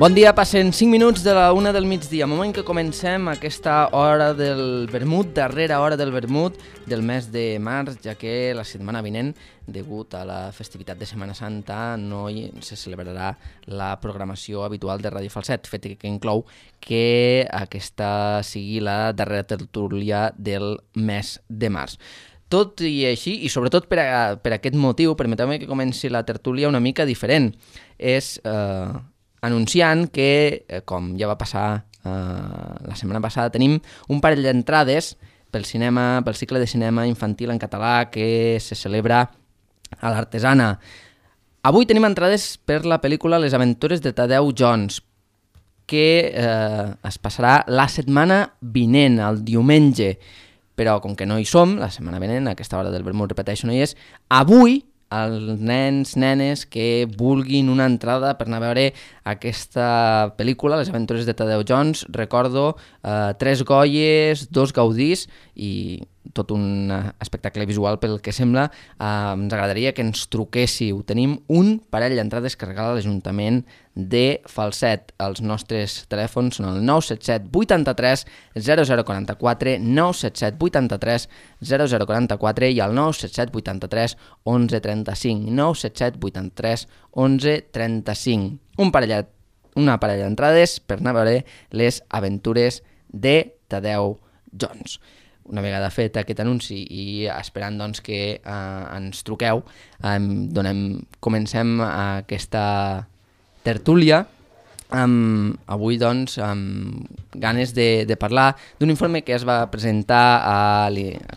Bon dia, passen 5 minuts de la 1 del migdia, moment que comencem aquesta hora del vermut, darrera hora del vermut del mes de març, ja que la setmana vinent, degut a la festivitat de Setmana Santa, no se celebrarà la programació habitual de Ràdio Falset, fet que inclou que aquesta sigui la darrera tertúlia del mes de març. Tot i així, i sobretot per aquest motiu, permeteu-me que comenci la tertúlia una mica diferent. És anunciant que, com ja va passar la setmana passada, tenim un parell d'entrades pel cicle de cinema infantil en català que se celebra a l'Artesana. Avui tenim entrades per la pel·lícula Les aventures de Tadeu Jones, que es passarà la setmana vinent, el diumenge. Però com que no hi som, la setmana vinent, a aquesta hora del vermut, repeteixo, no hi és, avui els nens, nenes que vulguin una entrada per anar a veure aquesta pel·lícula, Les aventures de Tadeu Jones, recordo 3 Goyes, 2 Gaudís i tot un espectacle visual pel que sembla. Ens agradaria que ens truquéssiu. Tenim un parell d'entrades que regala l'Ajuntament de Falset. Els nostres telèfons són el 977 83 0044, 977 83 0044 i el 977 83 11 35, 977 83 11 35. Una parella d'entrades per anar a veure Les aventures de Tadeu Jones. Una vegada fet aquest anunci i esperant doncs, que ens truqueu, comencem aquesta tertúlia avui doncs, amb ganes de parlar d'un informe que es va presentar a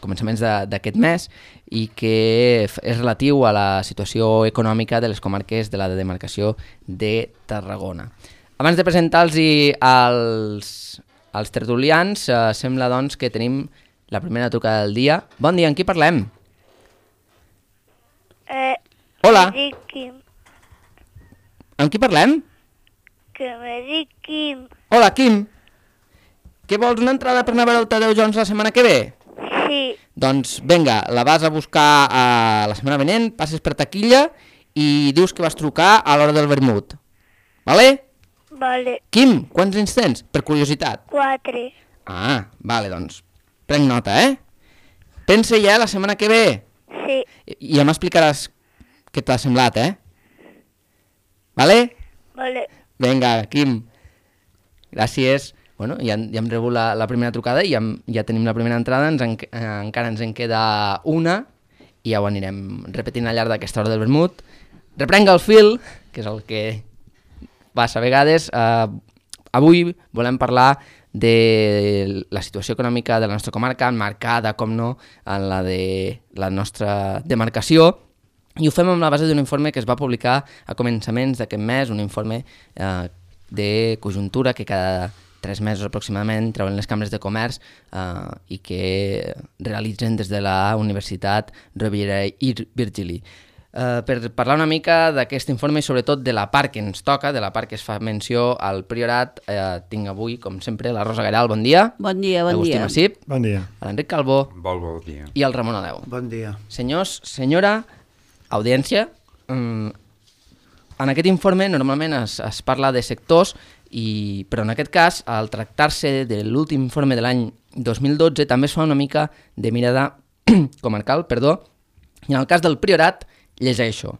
començaments d'aquest mes i que és relatiu a la situació econòmica de les comarques de la demarcació de Tarragona. Abans de presentar-los als tertulians, sembla doncs, que tenim la primera trucada del dia. Bon dia, amb qui parlem? Hola. Me dic Quim. Amb qui parlem? Que me dic Quim. Hola, Quim. Què vols, una entrada per anar a veure el Tadeu Jones la setmana que ve? Sí. Doncs vinga, la vas a buscar la setmana vinent, passes per taquilla i dius que vas trucar a l'hora del vermut. Vale? Vale. Quim, quants anys tens? Per curiositat. 4. Ah, vale, doncs. Prenc nota, Pensa ja la setmana que ve. Sí. I ja m'explicaràs què t'ha semblat, Vale? Vale. Vinga, Quim. Gràcies. Bueno, ja hem rebut la primera trucada i ja tenim la primera entrada, encara ens en queda una i ja ho anirem repetint al llarg d'aquesta hora del vermut. Reprenga el fil, que és el que passa a vegades. Avui volem parlar de la situació econòmica de la nostra comarca, marcada, com no, en la de la nostra demarcació, i ho fem amb la base d'un informe que es va publicar a començaments d'aquest mes, un informe de conjuntura que cada 3 mesos aproximadament treuen les cambres de comerç i que realitzen des de la Universitat Rovira i Virgili. Per parlar una mica d'aquest informe i sobretot de la part que ens toca, de la part que es fa menció al Priorat, tinc avui, com sempre, la Rosa Garal, bon dia. Bon dia, bon Agustí dia. Massip. Bon dia. L'Enric Calbó. Bon dia. I el Ramon Aleu. Bon dia. Senyors, senyora, audiència, en aquest informe normalment es parla de sectors, però en aquest cas, al tractar-se de l'últim informe de l'any 2012, també es fa una mica de mirada comarcal, i en el cas del Priorat, llegeixo.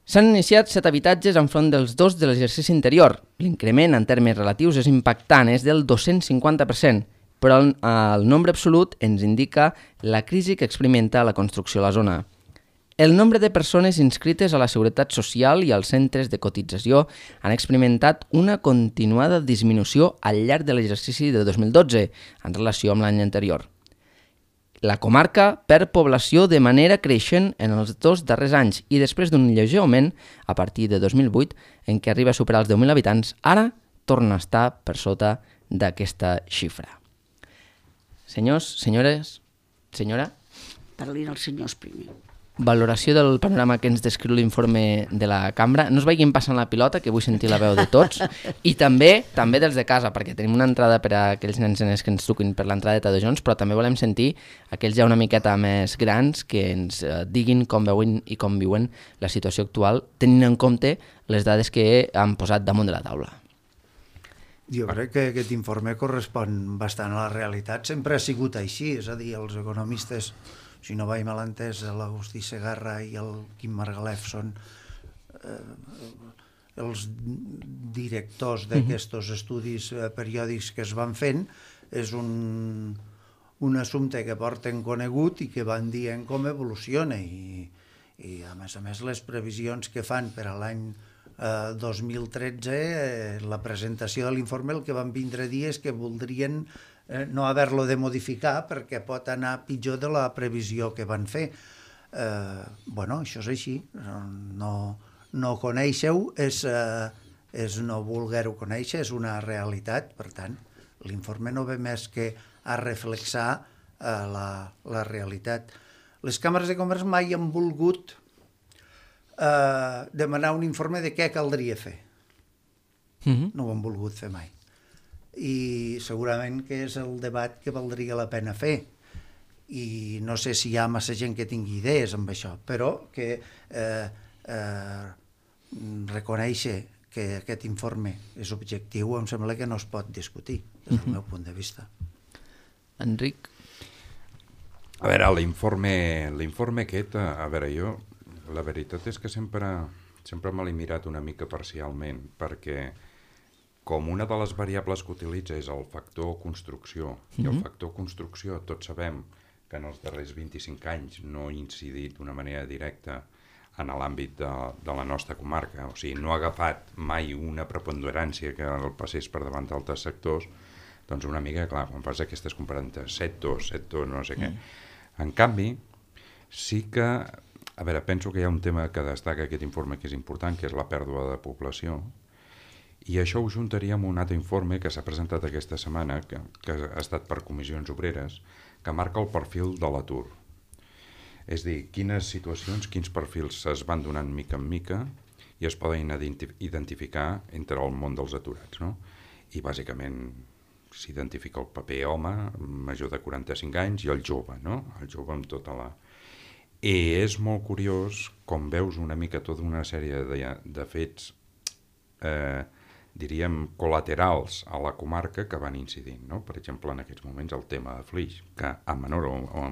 S'han iniciat 7 habitatges enfront dels 2 de l'exercici anterior. L'increment en termes relatius és impactant, és del 250%, però el nombre absolut ens indica la crisi que experimenta la construcció a la zona. El nombre de persones inscrites a la Seguretat Social i als centres de cotització han experimentat una continuada disminució al llarg de l'exercici de 2012 en relació amb l'any anterior. La comarca perd població de manera creixent en els 2 darrers anys i després d'un lleuger augment a partir de 2008 en què arriba a superar els 10.000 habitants, ara torna a estar per sota d'aquesta xifra. Senyors, senyores, senyora? Parlin els senyors primer. Valoració del panorama que ens descriu l'informe de la cambra. No es vagin passant la pilota, que vull sentir la veu de tots. I també dels de casa, perquè tenim una entrada per a aquells nens que ens truquin per l'entrada de Tadeu Jones, però també volem sentir aquells ja una miqueta més grans que ens diguin com veuen i com viuen la situació actual, tenint en compte les dades que han posat damunt de la taula. Jo crec que aquest informe correspon bastant a la realitat. Sempre ha sigut així, és a dir, els economistes, si no vaig mal entès, l'Agustí Segarra i el Quim Margalef són els directors d'aquests estudis periòdics que es van fent. És un assumpte que porten conegut i que van dient com evoluciona i a més les previsions que fan per a l'any 2013, la presentació de l'informe el que van vindre a dir és que voldrien no haver-lo de modificar perquè pot anar pitjor de la previsió que van fer. Bueno, això és així, no conèixer-ho és no voler-ho conèixer, és una realitat, per tant, l'informe no ve més que a reflexar la realitat. Les càmeres de comerç mai han volgut demanar un informe de què caldria fer. No ho han volgut fer mai. I segurament que és el debat que valdria la pena fer. I no sé si hi ha massa gent que tingui idees amb això, però que reconèixer que aquest informe és objectiu em sembla que no es pot discutir, des del meu punt de vista. Enric? A veure, l'informe aquest, a veure, jo, la veritat és que sempre me l'he mirat una mica parcialment, perquè com una de les variables que utilitza és el factor construcció, i el factor construcció tots sabem que en els darrers 25 anys no ha incidit d'una manera directa en l'àmbit de la nostra comarca, o sigui, no ha agafat mai una preponderància que el passés per davant d'altres sectors, doncs una mica, clar, quan fas aquestes comparances, sectors, no sé què. En canvi, sí que, a veure, penso que hi ha un tema que destaca aquest informe que és important, que és la pèrdua de població, i això ho juntaria amb un altre informe que s'ha presentat aquesta setmana, que ha estat per Comissions Obreres, que marca el perfil de l'atur. És a dir, quines situacions, quins perfils es van donant mica en mica i es poden identificar entre el món dels aturats, no? I bàsicament s'identifica el paper home, major de 45 anys, i el jove, no? El jove amb tota la... I és molt curiós com veus una mica tota una sèrie de fets, diríem, col·laterals a la comarca que van incidint, no? Per exemple, en aquests moments el tema de Flix, que a menor o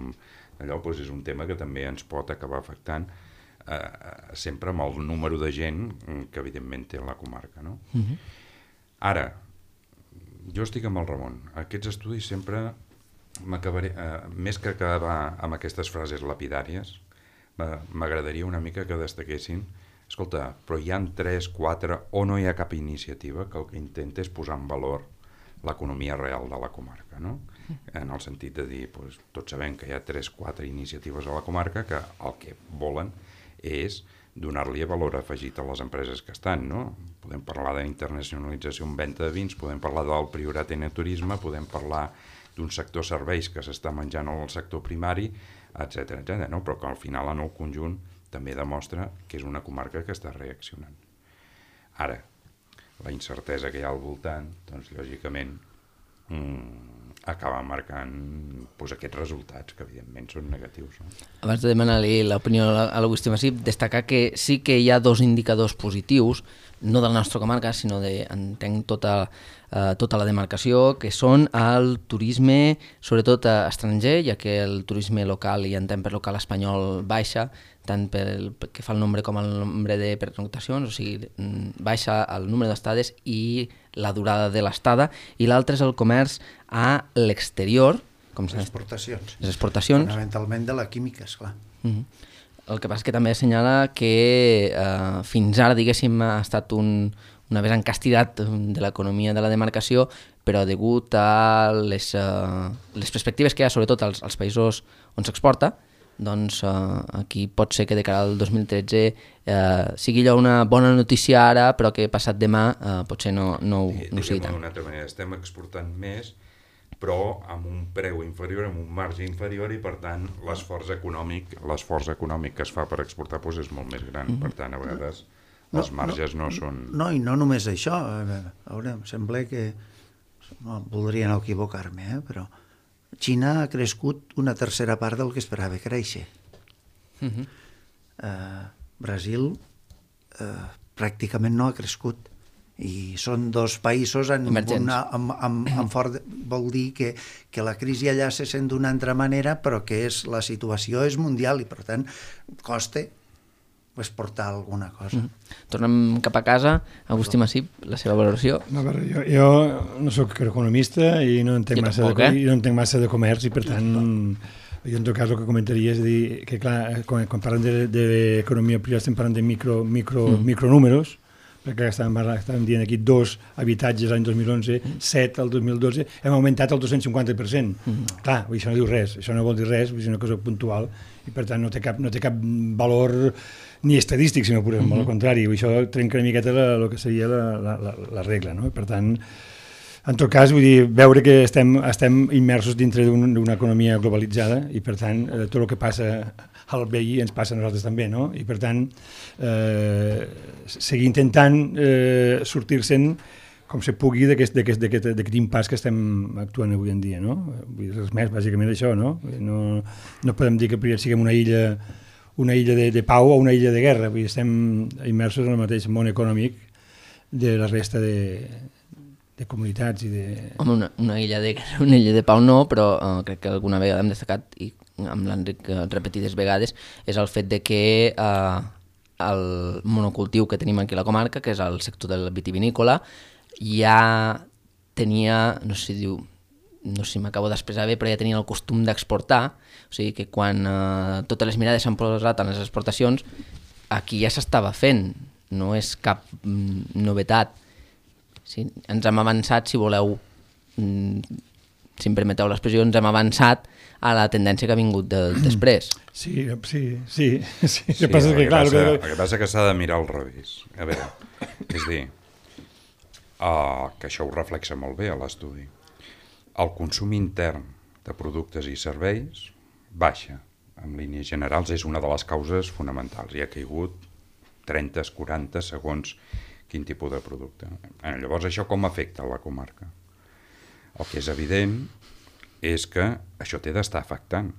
allò doncs és un tema que també ens pot acabar afectant sempre amb el número de gent que evidentment té la comarca, no? Ara, jo estic amb el Ramon. Aquests estudis sempre m'acabaré, més que acabar amb aquestes frases lapidàries, m'agradaria una mica que destaquessin, escolta, però hi ha 3, 4 o no hi ha cap iniciativa que el que intenta és posar en valor l'economia real de la comarca, no? En el sentit de dir, doncs, tots sabem que hi ha 3, 4 iniciatives a la comarca que el que volen és donar-li valor afegit a les empreses que estan, no? Podem parlar d'internacionalització en venda de vins, podem parlar del priorat en el turisme, podem parlar d'un sector serveis que s'està menjant al sector primari, etc., no? Però que al final en el conjunt també demostra que és una comarca que està reaccionant. Ara, la incertesa que hi ha al voltant, doncs lògicament acaba marcant aquests resultats que evidentment són negatius. No? Abans de demanar-li l'opinió a l'Agustí Massip, destacar que sí que hi ha 2 indicadors positius, no de la nostra comarca, sinó entenc tota la demarcació, que són el turisme, sobretot estranger, ja que el turisme local, i entenc per local espanyol, baixa, tant pel que fa el nombre com el nombre de pernoctacions, o sigui, baixa el número d'estades i la durada de l'estada, i l'altre és el comerç a l'exterior. Les exportacions. Les exportacions. Fonamentalment de la química, esclar. El que passa és que també assenyala que fins ara, diguéssim, ha estat una vessant castigat de l'economia de la demarcació, però degut a les perspectives que hi ha, sobretot als països on s'exporta, doncs aquí pot ser que de cara al 2013 sigui allò una bona notícia ara, però que passat demà potser no sigui tant. D'una altra manera, estem exportant més, però amb un preu inferior, amb un marge inferior, i per tant l'esforç econòmic que es fa per exportar és molt més gran. Per tant, a vegades els marges no són... No, i no només això. A veure, em sembla que... voldria no equivocar-me, però Xina ha crescut una tercera part del que esperava créixer. Brasil pràcticament no ha crescut. I són dos països Emergents. amb fort... Vol dir que la crisi allà se sent d'una altra manera, però que la situació és mundial i, per tant, costa exportar alguna cosa. Tornem cap a casa. Agustí Massip, la seva valoració. No, a veure, jo no sóc economista i no entenc massa de comerç i, per tant, jo en tot cas el que comentaria és dir que, clar, quan parlem d'economia privada estem parlant de micronúmeros, perquè estàvem dient aquí 2 habitatges l'any 2011, 7 el 2012, hem augmentat el 250%. Clar, això no diu res, això no vol dir res, és una cosa puntual i per tant no té cap valor ni estadístic, si no posem, al contrari, això trenca una miqueta el que seria la regla, no? Per tant, en tot cas, vull dir, veure que estem immersos dintre d'una economia globalitzada i, per tant, tot el que passa al veí ens passa a nosaltres també, no? I, per tant, seguir intentant sortir-se'n com se pugui d'aquest impàs que estem actuant avui en dia, no? Vull dir, res més, bàsicament això, no? No podem dir que siguem una illa de pau o una illa de guerra, vull dir, estem immersos en el mateix món econòmic de la resta de comunitats i de... Home, una illa de pau no, però crec que alguna vegada hem destacat, i amb l'Enric repetides vegades, és el fet de que el monocultiu que tenim aquí a la comarca, que és el sector del vitivinícola, ja tenia, no sé si m'acabo d'expressar bé, però ja tenia el costum d'exportar, o sigui que quan totes les mirades s'han posat en les exportacions, aquí ja s'estava fent, no és cap novetat. Sí, ens hem avançat, si voleu, si em permeteu l'expressió, ens hem avançat a la tendència que ha vingut després. Sí. El que passa és que s'ha de mirar al revés. A veure, és dir, que això ho reflexa molt bé a l'estudi. El consum intern de productes i serveis baixa. En línies generals és una de les causes fonamentals. Hi ha caigut 30, 40 segons quin tipus de producte. Llavors, això com afecta la comarca? El que és evident és que això té d'estar afectant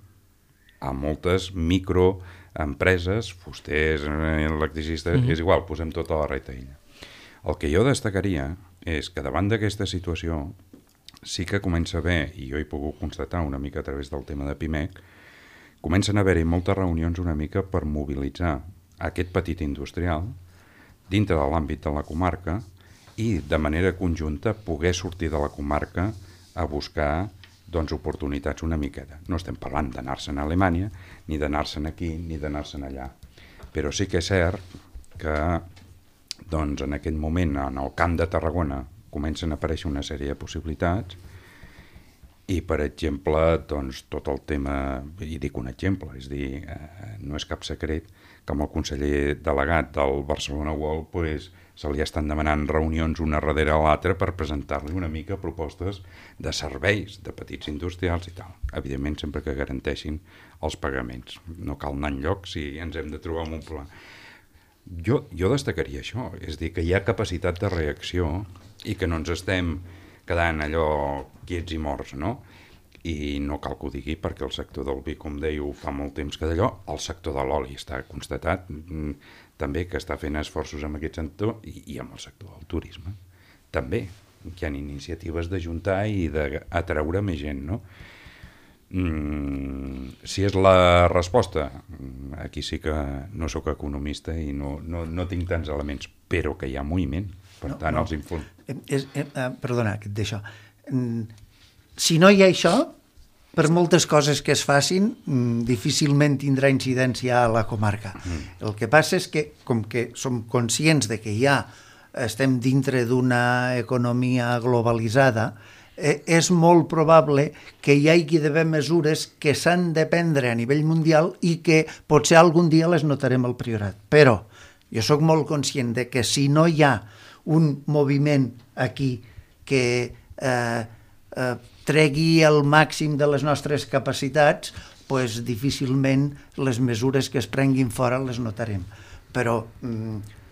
a moltes microempreses, fusters, electricistes, és igual, posem tota la retaïlla. El que jo destacaria és que davant d'aquesta situació sí que comença a haver, i jo he pogut constatar una mica a través del tema de PIMEC, comencen a haver-hi moltes reunions una mica per mobilitzar aquest petit industrial dintre de l'àmbit de la comarca i de manera conjunta poder sortir de la comarca a buscar oportunitats una miqueta. No estem parlant d'anar-se'n a Alemanya, ni d'anar-se'n aquí, ni d'anar-se'n allà. Però sí que és cert que en aquest moment en el Camp de Tarragona comencen a aparèixer una sèrie de possibilitats i, per exemple, tot el tema, i dic un exemple, és dir, no és cap secret que amb el conseller delegat del Barcelona World se li estan demanant reunions una darrere l'altra per presentar-li una mica propostes de serveis de petits industrials i tal. Evidentment, sempre que garanteixin els pagaments. No cal anar enlloc si ens hem de trobar amb un problema. Jo destacaria això, és dir, que hi ha capacitat de reacció i que no ens estem quedant allò quiets i morts, no? I no cal que ho digui perquè el sector del vi, com deia, fa molt temps que d'allò, el sector de l'oli està constatat també que està fent esforços en aquest sector i amb el sector del turisme. També hi ha iniciatives d'ajuntar i d'atreure més gent, no? Si és la resposta, aquí sí que no sóc economista i no tinc tants elements, però que hi ha moviment, per tant els informes... Perdona, que et deixo. Si no hi ha això, per moltes coses que es facin, difícilment tindrà incidència a la comarca. El que passa és que, com que som conscients de que ja estem dintre d'una economia globalitzada, és molt probable que hi hagi d'haver mesures que s'han de prendre a nivell mundial i que potser algun dia les notarem al Priorat. Però jo sóc molt conscient de que si no hi ha un moviment aquí que tregui el màxim de les nostres capacitats, doncs difícilment les mesures que es prenguin fora les notarem. Però,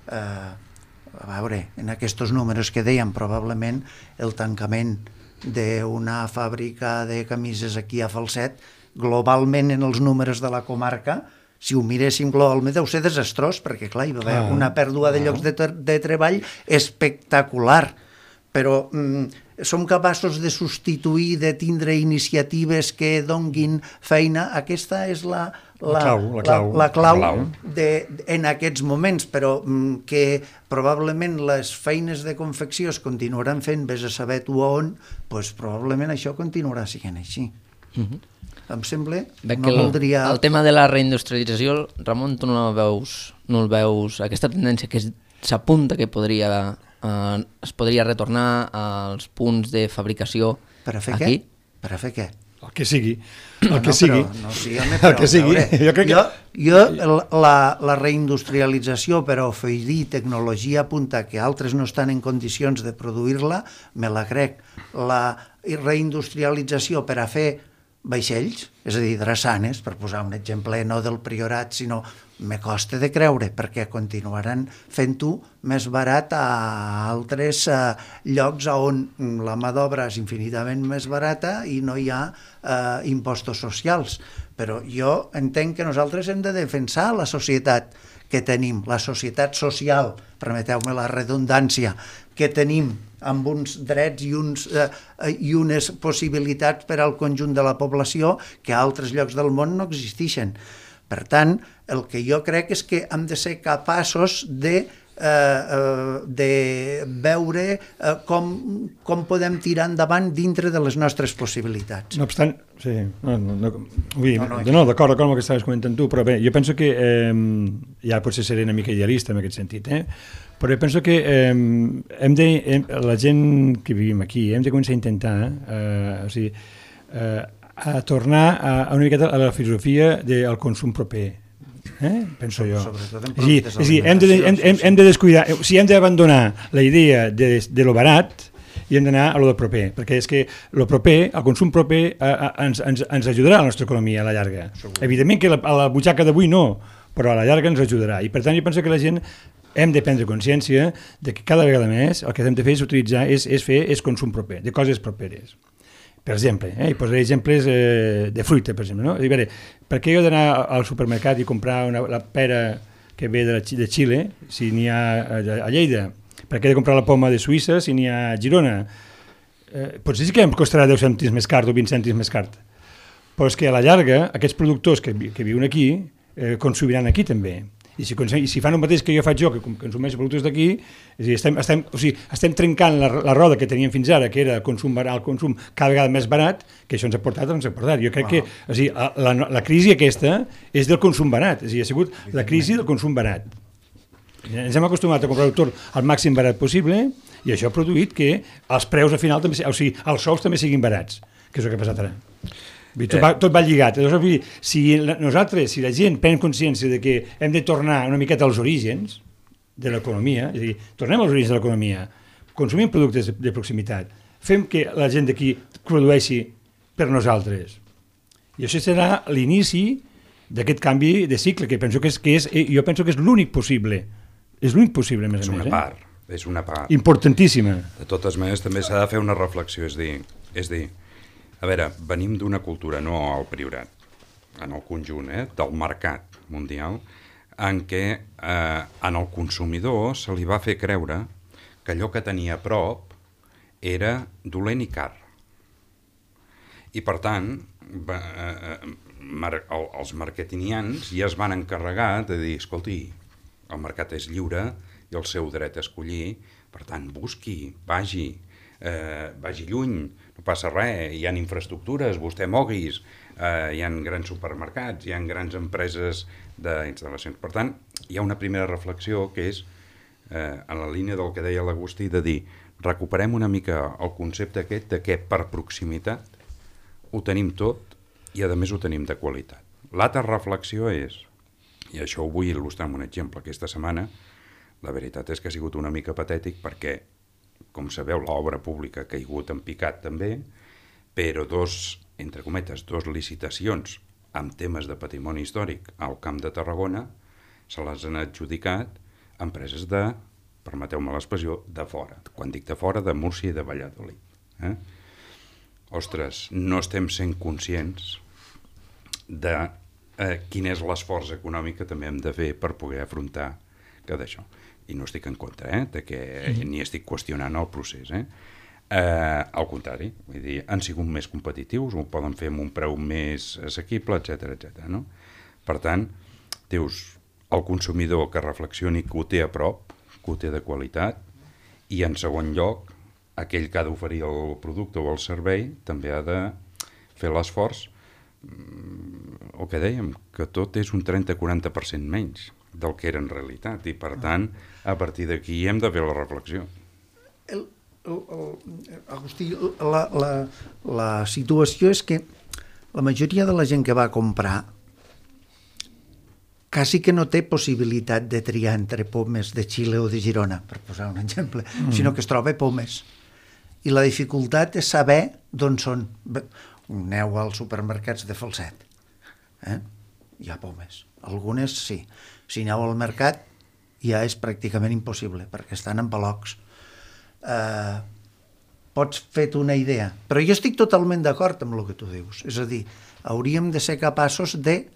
a veure, en aquests números que dèiem, probablement el tancament d'una fàbrica de camises aquí a Falset, globalment en els números de la comarca, si ho miréssim globalment, deu ser desastrós, perquè, clar, hi va haver una pèrdua de llocs de treball espectacular, però som capaços de substituir, de tindre iniciatives que donguin feina. Aquesta és la clau en aquests moments, però que probablement les feines de confecció es continuaran fent, vés a saber tu on, doncs probablement això continuarà sent així. Em sembla, no voldria... El tema de la reindustrialització, Ramon, tu no el veus, aquesta tendència que s'apunta que es podria retornar als punts de fabricació aquí? Per a fer què? El que sigui. El que sigui. El que sigui. Jo la reindustrialització per a oferir tecnologia punta que altres no estan en condicions de produir-la, me la crec. La reindustrialització per a fer vaixells, és a dir, drassanes, per posar un exemple no del Priorat, sinó me costa de creure, perquè continuaran fent-ho més barat a altres llocs on la mà d'obra és infinitament més barata i no hi ha impostos socials. Però jo entenc que nosaltres hem de defensar la societat que tenim, la societat social, permeteu-me la redundància, que tenim amb uns drets i unes possibilitats per al conjunt de la població que a altres llocs del món no existeixen. Per tant, el que jo crec és que hem de ser capaços de veure com podem tirar endavant dintre de les nostres possibilitats. No obstant, sí, d'acord amb el que estaves comentant tu, però bé, jo penso que ja potser seré una mica idealista en aquest sentit, però jo penso que la gent que vivim aquí hem de començar a intentar a tornar a una miqueta a la filosofia del consum proper, penso jo. És a dir, hem de descuidar, o sigui, hem d'abandonar la idea de lo barat i hem d'anar a lo del proper, perquè és que lo proper, el consum proper ens ajudarà a la nostra economia a la llarga. Evidentment que a la butxaca d'avui no, però a la llarga ens ajudarà, i per tant jo penso que la gent hem de prendre consciència de que cada vegada més el que hem de fer és utilitzar, és consum proper, de coses properes. Per exemple, i posaré exemples de fruita, per exemple. No? Per què he d'anar al supermercat i comprar la pera que ve de Xile, si n'hi ha a Lleida? Per què he de comprar la poma de Suïssa si n'hi ha a Girona? Potser sí que em costarà 10 cèntims més car o 20 cèntims més car, però és que a la llarga aquests productors que viuen aquí consumiran aquí també. I si fan el mateix que jo faig que consumeixo productes d'aquí, estem trencant la roda que teníem fins ara, que era el consum cada vegada més barat, que això ens ha portat. Jo crec que la crisi aquesta és del consum barat, ha sigut la crisi del consum barat. Ens hem acostumat a comprar tot al màxim barat possible i això ha produït que els preus al final també, els sous també siguin barats, que és el que ha passat ara. Tot va lligat. Si la gent pren consciència de que hem de tornar una miqueta als orígens de l'economia, és a dir, tornem als orígens de l'economia, consumim productes de proximitat, fem que la gent d'aquí produeixi per nosaltres. I això serà l'inici d'aquest canvi de cicle, que penso que jo penso que és l'únic possible. És l'únic possible, a més a més. És una part. Importantíssima. De totes maneres, també s'ha de fer una reflexió, és dir, a veure, venim d'una cultura, no al Priorat, en el conjunt del mercat mundial, en què en el consumidor se li va fer creure que allò que tenia a prop era dolent i car. I per tant, els marketingians ja es van encarregar de dir, escolti, el mercat és lliure i el seu dret a escollir, per tant, busqui, vagi lluny, no passa res, hi ha infraestructures, vostè moguis, hi ha grans supermercats, hi ha grans empreses d'instal·lacions. Per tant, hi ha una primera reflexió que és, en la línia del que deia l'Agustí, de dir, recuperem una mica el concepte aquest de que per proximitat ho tenim tot i a més ho tenim de qualitat. L'altra reflexió és, i això ho vull il·lustrar amb un exemple, aquesta setmana la veritat és que ha sigut una mica patètic perquè, com sabeu, l'obra pública ha caigut en picat també, però entre cometes, dos licitacions amb temes de patrimoni històric al Camp de Tarragona se les han adjudicat empreses permeteu-me l'expressió, de fora. Quan dic de fora, de Múrcia i de Valladolid. Ostres, no estem sent conscients de quin és l'esforç econòmic que també hem de fer per poder afrontar que d'això. I no estic en contra, ni estic qüestionant el procés. Al contrari, vull dir, han sigut més competitius, ho poden fer amb un preu més assequible, etc. No? Per tant, dius, el consumidor que reflexioni que ho té a prop, que ho té de qualitat, i en segon lloc, aquell que ha d'oferir el producte o el servei també ha de fer l'esforç, el que dèiem, que tot és un 30-40% menys del que era en realitat, i per tant, a partir d'aquí hem de fer la reflexió. Agustí, la situació és que la majoria de la gent que va comprar quasi que no té possibilitat de triar entre pomes de Xile o de Girona, per posar un exemple, sinó que es troba pomes. I la dificultat és saber d'on són. Aneu als supermercats de Falset. Hi ha pomes. Algunes sí. Si aneu al mercat ja és pràcticament impossible, perquè estan en palocs. Pots fer-te una idea. Però jo estic totalment d'acord amb el que tu dius. És a dir, hauríem de ser capaços de...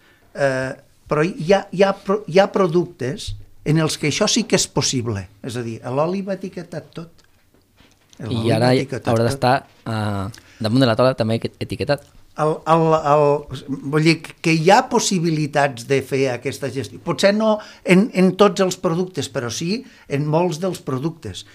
però hi ha productes en els que això sí que és possible. És a dir, l'oli va etiquetat tot. I ara haurà d'estar damunt de la taula també etiquetat. Vull dir que hi ha possibilitats de fer aquesta gestió. Potser no en tots els productes, però sí en molts dels productes.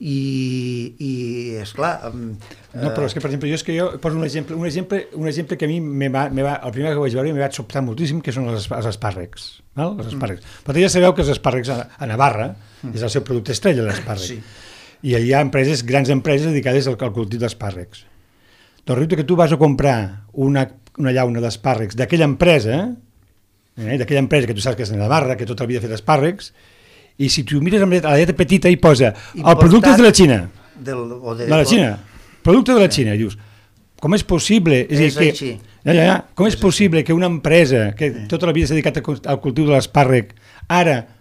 I esclar... No, però és que, per exemple, jo poso un exemple que a mi el primer que vaig veure m'ha sobtat moltíssim, que són els espàrrecs. Els espàrrecs. Però ja sabeu que els espàrrecs a Navarra és el seu producte estrella, l'espàrrec. Sí. I hi ha grans empreses dedicades al cultiu d'espàrrecs. Doncs resulta que tu vas a comprar una llauna d'espàrrecs d'aquella empresa que tu saps que és de Navarra, que tota la vida ha fet espàrrecs, i si tu mires a la lletra petita hi posa el producte de la Xina. De la Xina. Producte de la Xina. I dius, com és possible? Com és possible que una empresa que tota la vida s'ha dedicat al cultiu de l'espàrrec ara...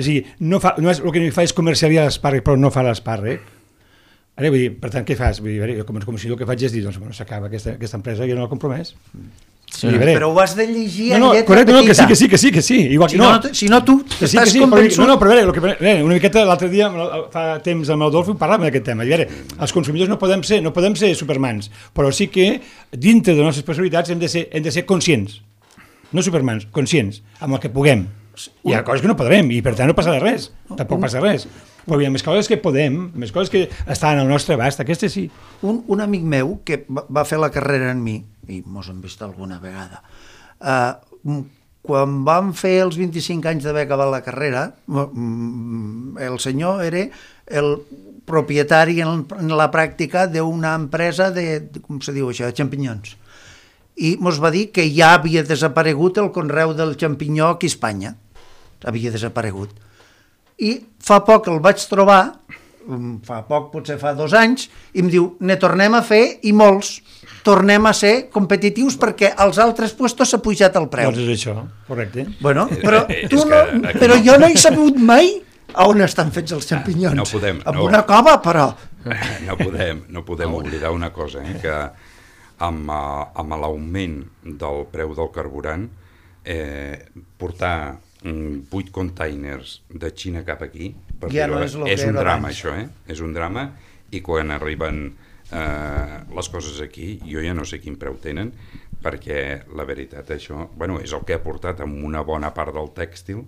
És a dir, el que fa és comercialitzar l'espàrrec, però no fa l'espàrrec. Ara, vull dir, per tant, què fas? Vull dir, com si el que faig és dir, doncs, bueno, s'acaba aquesta empresa, jo no l'ha compromès. Sí, però ho has de llegir en lletra correcte, petita. Que sí. Igual que si no tu estàs convençut... No, però a veure, una miqueta l'altre dia, fa temps amb l'Adolfo, parlàvem d'aquest tema. A veure, els consumidors no podem ser supermans, però sí que dintre de les nostres possibilitats hem de ser conscients. No supermans, conscients, amb el que puguem. Hi ha coses que no podrem i per tant no passa res, tampoc passa res, però hi ha més coses que podem, més coses que estan al nostre abast, aquestes sí. Un amic meu que va fer la carrera en mi, i mos hem vist alguna vegada, quan vam fer els 25 anys d'haver acabat la carrera, el senyor era el propietari en la pràctica d'una empresa de, com se diu això, de xampinyons. I ens va dir que ja havia desaparegut el conreu del xampinyó aquí a Espanya. Havia desaparegut. I fa poc el vaig trobar, potser fa 2 anys, i em diu, ne tornem a fer i molts. Tornem a ser competitius perquè als altres puestos s'ha pujat el preu. Doncs és això, correcte. Bueno, però jo no he sabut mai on estan fets els xampinyons. No podem. Amb una cova, però... No podem oblidar una cosa, que amb l'augment del preu del carburant, portar 8 containers de Xina cap aquí, ja no és un drama, això, és un drama, i quan arriben les coses aquí, jo ja no sé quin preu tenen, perquè la veritat això, és el que ha portat amb una bona part del tèxtil,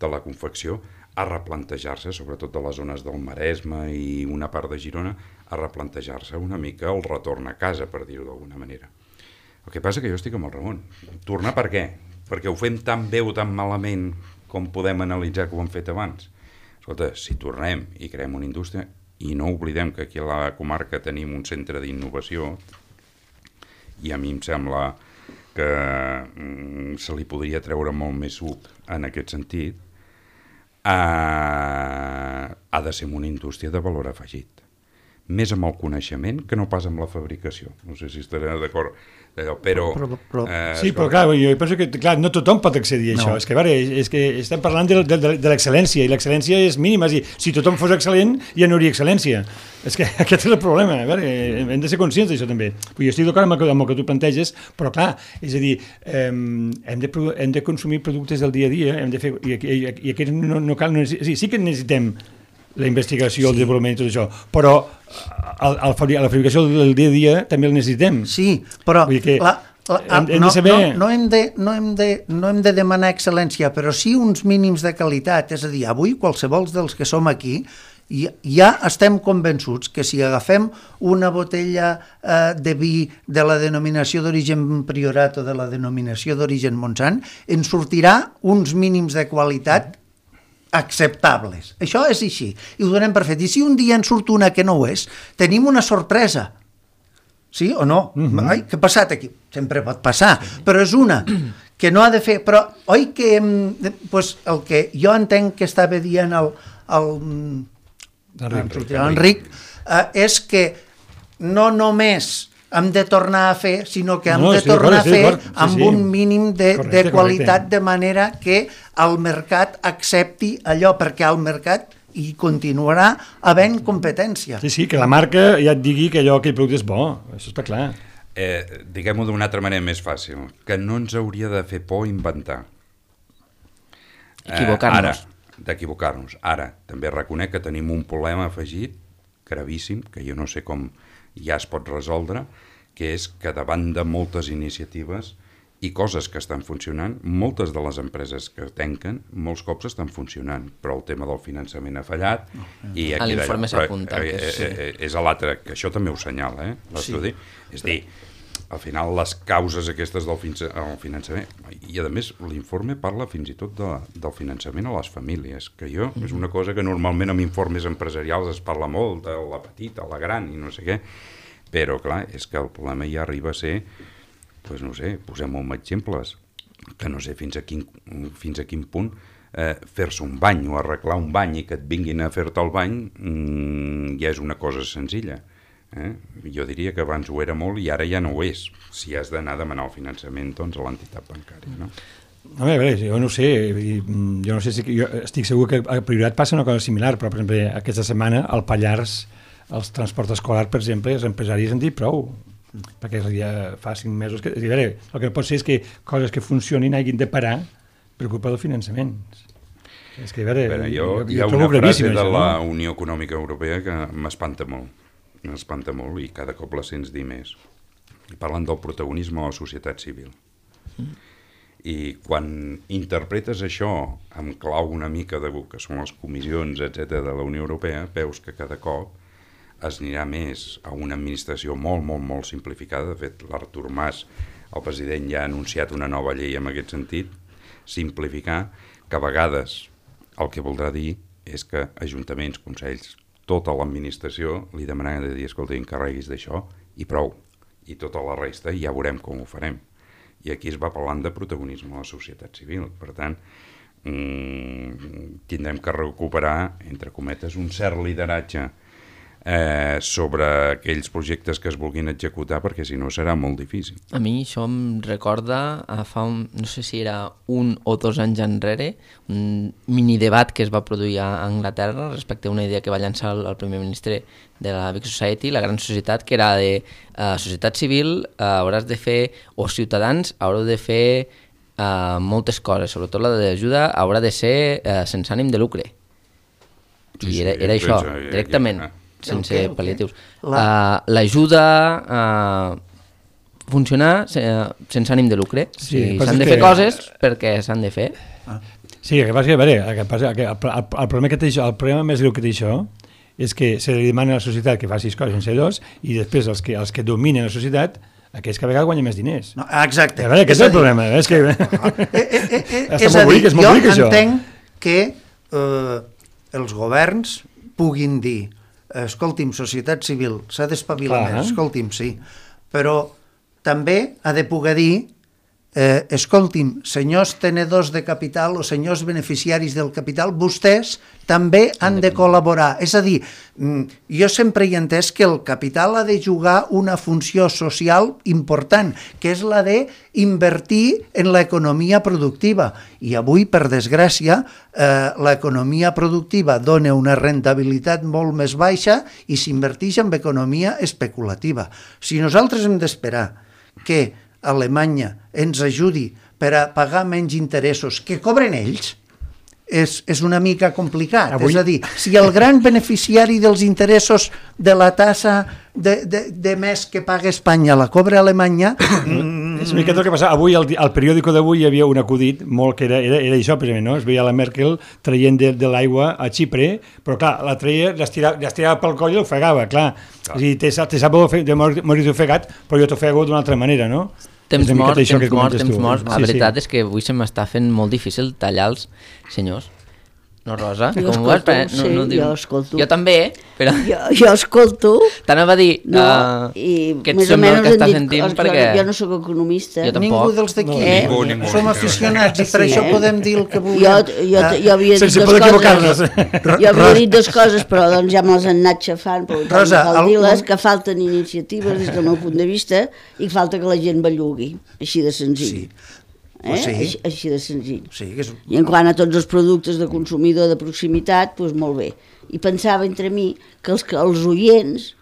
de la confecció, a replantejar-se, sobretot de les zones del Maresme i una part de Girona, a replantejar-se una mica el retorn a casa, per dir-ho d'alguna manera. El que passa que jo estic amb el Ramon. Tornar per què? Perquè ho fem tan bé o tan malament com podem analitzar que ho hem fet abans. Escolta, si tornem i creem una indústria, i no oblidem que aquí a la comarca tenim un centre d'innovació, i a mi em sembla que se li podria treure molt més suc en aquest sentit, ha de ser una indústria de valor afegit. més amb el coneixement que no pas amb la fabricació. No sé si estareu d'acord. Però sí, però clar, jo penso que clar, no tothom pot accedir a això. És que, a veure, és que estem parlant de l'excel·lència, i l'excel·lència és mínima. Si tothom fos excel·lent, ja no hi hauria excel·lència. És que aquest és el problema. A veure, hem de ser conscients d'això també. Jo estic d'acord amb el que tu planteges, però clar, és a dir, hem de consumir productes del dia a dia, hem de fer, i aquests no cal, sí que necessitem la investigació, el desenvolupament i tot això, però la fabricació del dia a dia també el necessitem. Sí, però no hem de demanar excel·lència, però sí uns mínims de qualitat. És a dir, avui qualsevol dels que som aquí ja estem convençuts que si agafem una botella de vi de la denominació d'origen Priorat o de la denominació d'origen Montsant, ens sortirà uns mínims de qualitat acceptables. Això és així, i ho donem per fet. I si un dia en surt una que no ho és, tenim una sorpresa. Sí o no? Ai, què ha passat aquí? Sempre pot passar, però és una que no ha de fer. Però, oi que pues, el que jo entenc que estava dient l'Enric és que no només hem de tornar a fer, sinó que hem de tornar a fer amb un mínim de qualitat, de manera que el mercat accepti allò, perquè al mercat hi continuarà havent competència. Sí, que la marca ja et digui que aquell producte és bo, això està clar. Diguem-ho d'una altra manera més fàcil, que no ens hauria de fer por inventar. D'equivocar-nos. Ara, també reconec que tenim un problema afegit, gravíssim, que jo no sé com ja es pot resoldre, que és que davant de moltes iniciatives i coses que estan funcionant, moltes de les empreses que tanquen, molts cops estan funcionant, però el tema del finançament ha fallat. I a l'informe s'apunta. És a l'altre, que això també ho senyala, l'estudi. És a dir, al final les causes aquestes del finançament, i a més l'informe parla fins i tot del finançament a les famílies, que és una cosa que normalment en informes empresarials es parla molt, de la petita, la gran i no sé què, però clar, és que el problema ja arriba a ser, doncs no sé, posem-ho amb exemples, que no sé fins a quin punt fer-se un bany o arreglar un bany i que et vinguin a fer-te el bany ja és una cosa senzilla. Jo diria que abans ho era molt i ara ja no ho és, si has d'anar a demanar el finançament doncs, a l'entitat bancària, no? A veure, jo no sé, jo estic segur que a Priorat passa una cosa similar, però per exemple aquesta setmana al Pallars, els transports escolars, per exemple, els empresaris han dit prou, perquè ja fa 5 mesos que... A veure, el que no pot ser és que coses que funcionin hagin de parar per culpa del finançament. És que, a veure, hi ha una frase de la Unió Econòmica Europea que m'espanta molt i cada cop la sents dir més. Parlen del protagonisme de la societat civil. I quan interpretes això amb clau una mica de que són les comissions, etc de la Unió Europea, veus que cada cop es anirà més a una administració molt, molt, molt simplificada. De fet, l'Artur Mas, el president, ja ha anunciat una nova llei en aquest sentit, simplificar, que a vegades el que voldrà dir és que ajuntaments, consells, tota l'administració li demanaran de dir, escolta, encarreguis d'això i prou. I tota la resta ja veurem com ho farem. I aquí es va parlant de protagonisme de la societat civil. Per tant, tindrem que recuperar, entre cometes, un cert lideratge sobre aquells projectes que es vulguin executar, perquè si no serà molt difícil. A mi això em recorda no sé si era 1 o 2 anys enrere, un mini-debat que es va produir a Anglaterra respecte a una idea que va llançar el primer ministre de la Big Society, la gran societat, que era de societat civil, hauràs de fer, o ciutadans, haureu de fer moltes coses, sobretot la d'ajuda haurà de ser sense ànim de lucre. I era això, directament. Sense pal·liatius. L'ajuda a funcionar sense ànim de lucre. S'han de fer coses perquè s'han de fer. Sí, el problema més greu que té això és que se li demana a la societat que faci coses sense dos i després els que dominen la societat, aquells que a vegades guanyen més diners. Exacte. Aquest és el problema. És a dir, jo entenc que els governs puguin dir escolti'm, societat civil, s'ha d'espavilar més, escolti'm, sí, però també ha de poder dir escolti'm, senyors tenedors de capital o senyors beneficiaris del capital, vostès també han de col·laborar. És a dir, jo sempre he entès que el capital ha de jugar una funció social important, que és la d'invertir en l'economia productiva. I avui, per desgràcia, l'economia productiva dona una rentabilitat molt més baixa i s'inverteix en economia especulativa. Si nosaltres hem d'esperar que Alemanya ens ajudi per a pagar menys interessos que cobren ells, és una mica complicat. Avui... És a dir, si el gran beneficiari dels interessos de la tassa de més que paga Espanya la cobra Alemanya... És una mica el que passa. Avui, al periòdico d'avui, hi havia un acudit molt que era això, precisament, no? Es veia la Merkel traient de l'aigua a Xipre, però clar, la traia, l'estirava pel coll i l'ofegava, clar. És a dir, te sap de morir ofegat, però jo t'ofego d'una altra manera, no? Temps mort. La veritat és que avui se m'està fent molt difícil tallar els senyors. No, Rosa? Jo escolto, jo escolto. Jo també, però... Jo escolto. T'anava a dir que et sembla el que estàs sentint perquè... Jo no sóc economista. Ningú dels d'aquí. Som aficionats i per això podem dir el que vulguem. Jo havia dit dues coses. Jo havia dit dues coses, però doncs ja me les han anat xafant. Rosa, dir-les que falten iniciatives des del meu punt de vista i falta que la gent bellugui, així de senzill. Així de senzill. I en quant a tots els productes de consumidor de proximitat, doncs molt bé. I pensava entre mi que els oients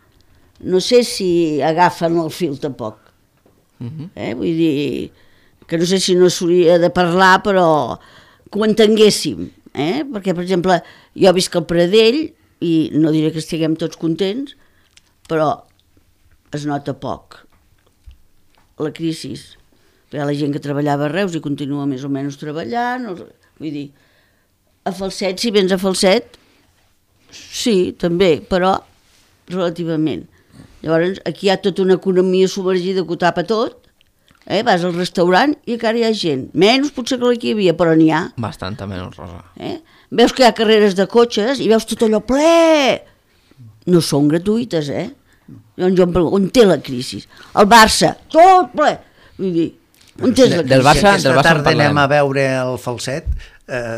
no sé si agafen el fil tampoc. Vull dir que no sé si no s'hauria de parlar, però que ho entenguéssim. Perquè, per exemple, jo visc al Pradell i no diré que estiguem tots contents, però es nota poc la crisi. Hi ha la gent que treballava a Reus i continua més o menys treballant, vull dir, a Falset, si vens a Falset, sí, també, però relativament. Llavors, aquí hi ha tota una economia submergida que ho tapa tot, vas al restaurant i encara hi ha gent, menys potser que aquí hi havia, però n'hi ha. Bastanta menys, Rosa. Veus que hi ha carreres de cotxes i veus tot allò ple, no són gratuïtes, Llavors jo em pregunto, on té la crisi? El Barça, tot ple, vull dir, del Barça aquesta tarda anem a veure el Falset,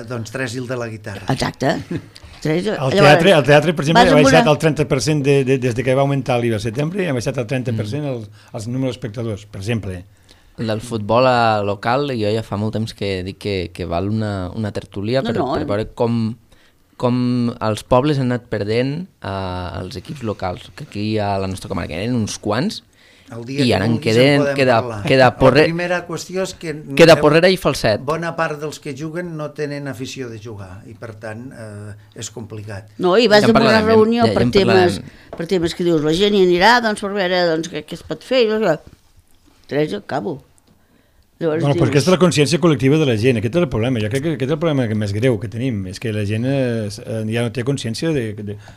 doncs Tres il de la guitarra. Exacte. El teatre, per exemple, ha baixat el 30% des que va augmentar l'IVA al setembre, ha baixat el 30% els números d'espectadors, per exemple. Del futbol local, jo ja fa molt temps que dic que val una tertúlia per veure com els pobles han anat perdent els equips locals, que aquí a la nostra comarca eren uns quants, i ara en queda Porrera i Falset. Bona part dels que juguen no tenen afició de jugar i per tant és complicat. No, i vas a una reunió per temes que dius, la gent hi anirà doncs per veure què es pot fer, Teresa, acabo. Bueno, però aquesta és la consciència col·lectiva de la gent, aquest és el problema. Jo crec que aquest és el problema més greu que tenim, és que la gent ja no té consciència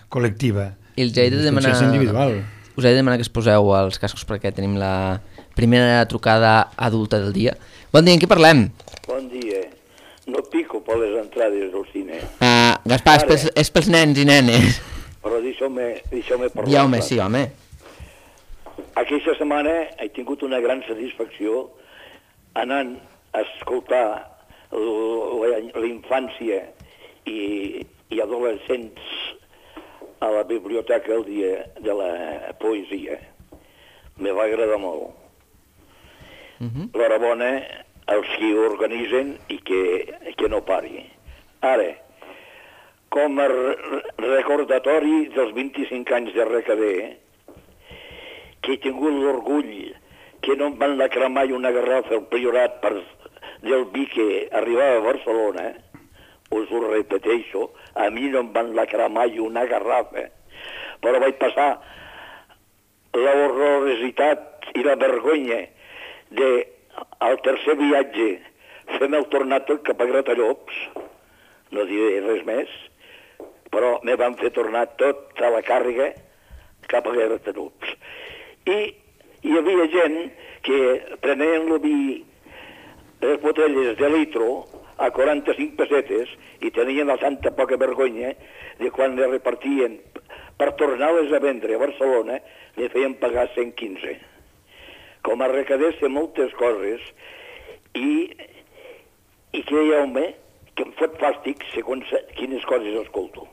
col·lectiva, consciència individual. Us he de demanar que es poseu els cascos perquè tenim la primera trucada adulta del dia. Bon dia, en què parlem? Bon dia. No pico per les entrades del cine. Gaspar, és pels nens i nenes. Però deixeu-me parlar. Ja, home, sí, home. Aquesta setmana he tingut una gran satisfacció anant a escoltar la infància i adolescents a la biblioteca el dia de la poesia. Me va agradar molt. L'enhorabona als qui organitzen i que no pari. Ara, com a recordatori dels 25 anys de RKB, que he tingut l'orgull que no em van lacrar mai una garrafa al Priorat del vi que arribava a Barcelona, us ho repeteixo, a mi no em van lacrar mai una garrafa, però vaig passar l'horrorositat i la vergonya al tercer viatge fem el tornat cap a Gratallops, no diré res més, però me van fer tornar tota la càrrega cap a Gratallops. I hi havia gent que prenien el vi, les botelles de litro, a 45 pessetes i tenien la tanta poca vergonya de quan les repartien per tornar-les a vendre a Barcelona, li feien pagar 115. Com a recadés de moltes coses i creieu-me que em fot fàstic segons quines coses escolto.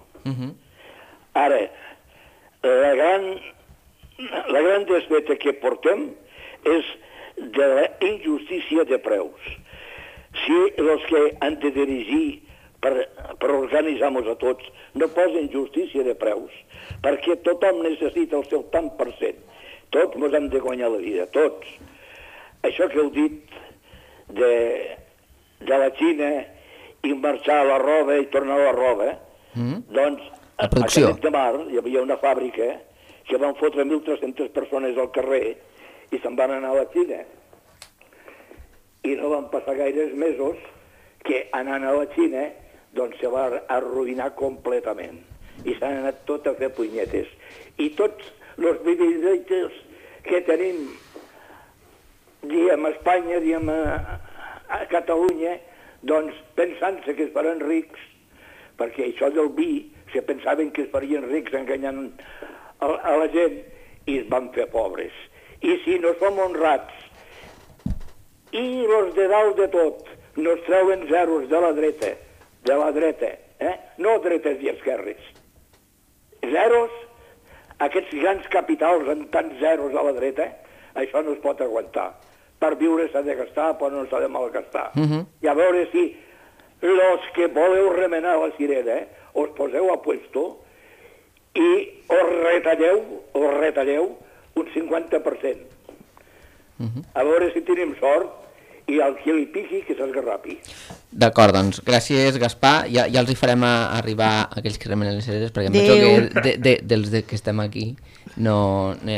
Ara, la gran desfeta que portem és de la injustícia de preus. Si els que han de dirigir per organitzar-nos a tots no posen justícia de preus, perquè tothom necessita el seu tant per cent. Tots ens hem de guanyar la vida, tots. Això que heu dit de la Xina i marxar a la roba i tornar a la roba, doncs a Canet de Mar hi havia una fàbrica que van fotre 1.300 persones al carrer i se'n van anar a la Xina. I no van passar gaires mesos que anant a la Xina doncs se va arruïnar completament i s'han anat tot a fer punyetes. I tots els privilegis que tenim, diem a Espanya, diem a Catalunya, doncs pensant-se que es faran rics, perquè això del vi, se pensaven que es farien rics enganyant a la gent i es van fer pobres. I si no som honrats i els de dalt de tot nos treuen zeros de la dreta, no dretes i esquerres, zeros, aquests grans capitals amb tants zeros a la dreta, això no es pot aguantar. Per viure s'ha de gastar, però no s'ha de malgastar. I a veure si els que voleu remenar la sirena us poseu a puesto i us retalleu un 50%. A veure si tenim sort i el que li piqui que s'esgarrapi. D'acord, doncs, gràcies Gaspar, ja els hi farem arribar aquells que remenen les cireres, perquè em penso que dels que estem aquí no hi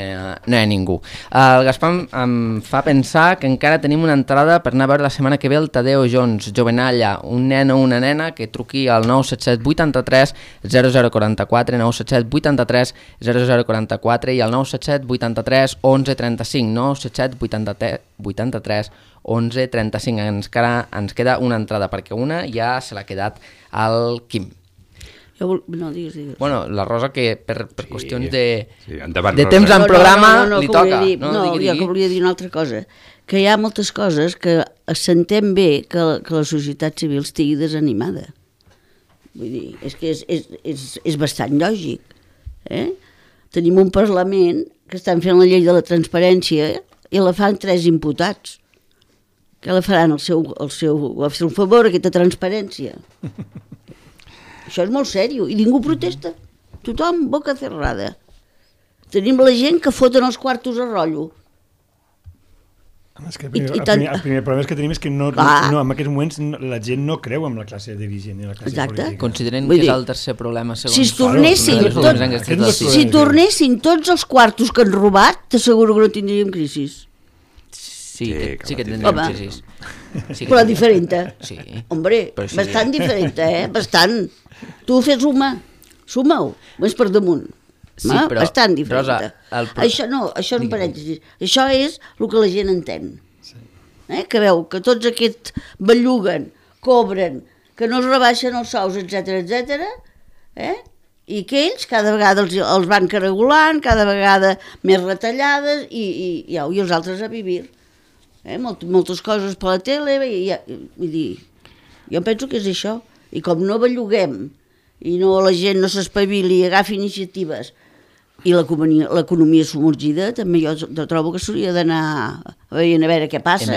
ha ningú. El Gaspar em fa pensar que encara tenim una entrada per anar a veure la setmana que ve el Tadeo Jones, Jovenalla, un nen o una nena que truqui al 977 83 0044, 977 83 0044 i al 977 83 11 35, 977 83 11 35. Ens queda una entrada, perquè una ja se l'ha quedat al Quim. No, digues. Bueno, la Rosa, que per qüestions de Rosa. temps en programa li toca. Jo que volia dir una altra cosa, que hi ha moltes coses que s'entén bé que la societat civil estigui desanimada. Vull dir, és que és bastant lògic. Tenim un Parlament que estan fent la llei de la transparència i la fan 3 imputats. Que la faran al seu favor, aquesta transparència. Això és molt sèrio, i ningú protesta. Tothom, boca cerrada. Tenim la gent que foten els quartos a rotllo. El primer problema que tenim és que en aquests moments la gent no creu en la classe dirigent i la classe política. Consideren que és el tercer problema, segons... Si tornessin tots els quartos que han robat, t'asseguro que no tindríem crisi. Sí que tindríem crisis. Però diferent. Sí. Hombre, bastant diferent, Bastant. Tu fes suma-ho, més per damunt. Sí, però... Bastant diferent. Això és un parèntesi. Això és el que la gent entén. Que veu que tots aquests belluguen, cobren, que no es rebaixen els sous, etc, i que ells cada vegada els van regulant, cada vegada més retallades, i els altres a vivir. Moltes coses per la tele, vull dir, jo penso que és això, i com no belluguem i la gent no s'espavili i agafi iniciatives i l'economia submergida, també jo trobo que s'hauria d'anar a veure què passa.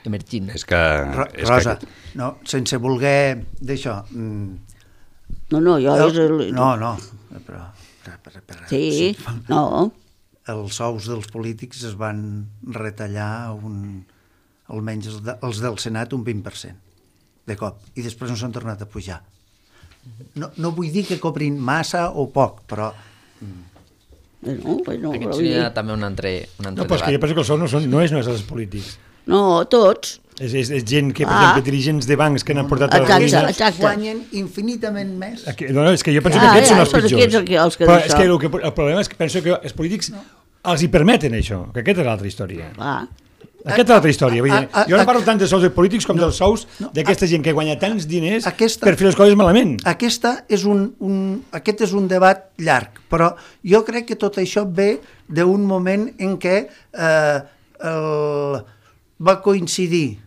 Emergint. Rosa, sense voler d'això... No, però... Sí, no... Els sous dels polítics es van retallar almenys els del Senat un 20% de cop, i després no s'han tornat a pujar. No vull dir que cobrin massa o poc, però... Aquest seria també un altre debat. No, però és que jo penso que el sou no és només els polítics. No, tots. És gent que, per exemple, dirigents de bancs que n'han portat a la ruïna... Guanyen infinitament més. No, és que jo penso que aquests són els pitjors. Però és que el problema és que penso que els polítics els hi permeten això, que aquesta és l'altra història. Aquesta és l'altra història. Jo no parlo tant de sous de polítics com dels sous d'aquesta gent que guanya tants diners per fer les coses malament. Aquest és un debat llarg, però jo crec que tot això ve d'un moment en què va coincidir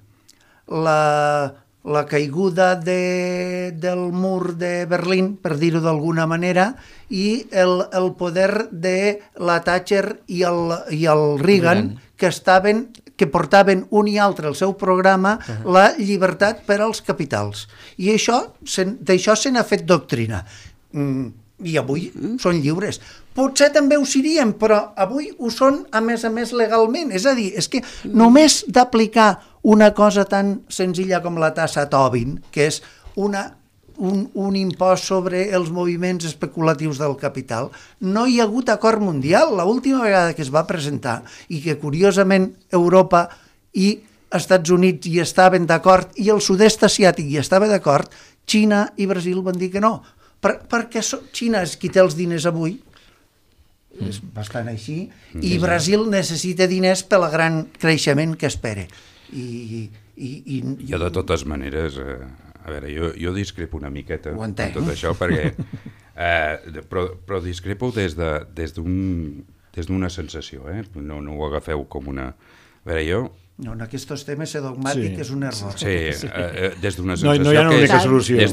la caiguda del mur de Berlín, per dir-ho d'alguna manera, i el poder de la Thatcher i el Reagan, que portaven un i altre al seu programa la llibertat per als capitals. I d'això se n'ha fet doctrina. I avui són lliures. Potser també ho serien, però avui ho són a més legalment. És a dir, és que només d'aplicar una cosa tan senzilla com la tassa Tobin, que és un impost sobre els moviments especulatius del capital, no hi ha hagut acord mundial. L'última vegada que es va presentar, i que curiosament Europa i Estats Units hi estaven d'acord, i el sud-est asiàtic hi estava d'acord, Xina i Brasil van dir que no. Perquè Xina és qui té els diners avui, és bastant així, i Brasil necessita diners pel gran creixement que espera. Jo, de totes maneres, a veure, jo discrepo una miqueta en tot això, perquè però discrepo des d'una sensació, no ho agafeu com una... A veure, jo... No, en aquests temes ser dogmàtic és un error. Sí, des d'una sensació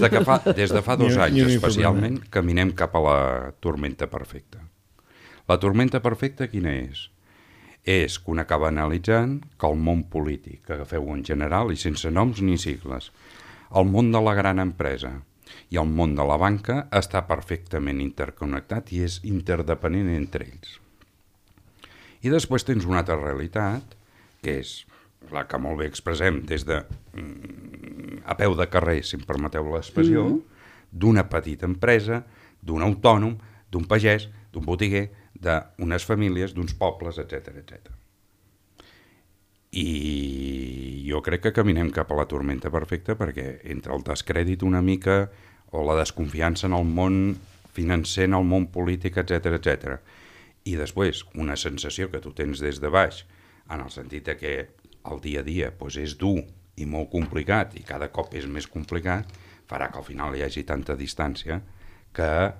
que des de fa 2 anys especialment caminem cap a la tormenta perfecta. La tormenta perfecta quina és? És que un acaba analitzant que el món polític, que agafeu en general i sense noms ni sigles, el món de la gran empresa i el món de la banca està perfectament interconnectat i és interdependent entre ells. I després tens una altra realitat, que és la que molt bé expressem des de a peu de carrer, si em permeteu l'expressió, d'una petita empresa, d'un autònom, d'un pagès, d'un botiguer, d'unes famílies, d'uns pobles, etc. I jo crec que caminem cap a la tormenta perfecta perquè entre el descrèdit una mica o la desconfiança en el món financer, en el món polític, etc. I després una sensació que tu tens des de baix, en el sentit que el dia a dia és dur i molt complicat i cada cop és més complicat, farà que al final hi hagi tanta distància que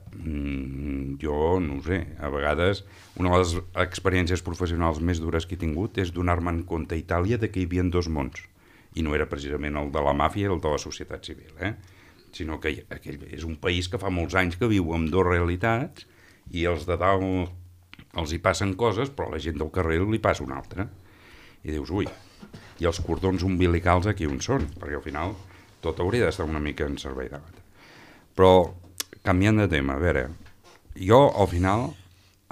jo, no ho sé, a vegades una de les experiències professionals més dures que he tingut és donar-me en compte a Itàlia que hi havia 2 mons, i no era precisament el de la màfia i el de la societat civil, sinó que aquell és un país que fa molts anys que viu amb 2 realitats i els de dalt els hi passen coses, però a la gent del carrer li passa una altra. I dius, ui, i els cordons umbilicals aquí on són? Perquè al final tot hauria d'estar una mica en servei d'altre. Però, canviant de tema, a veure, jo al final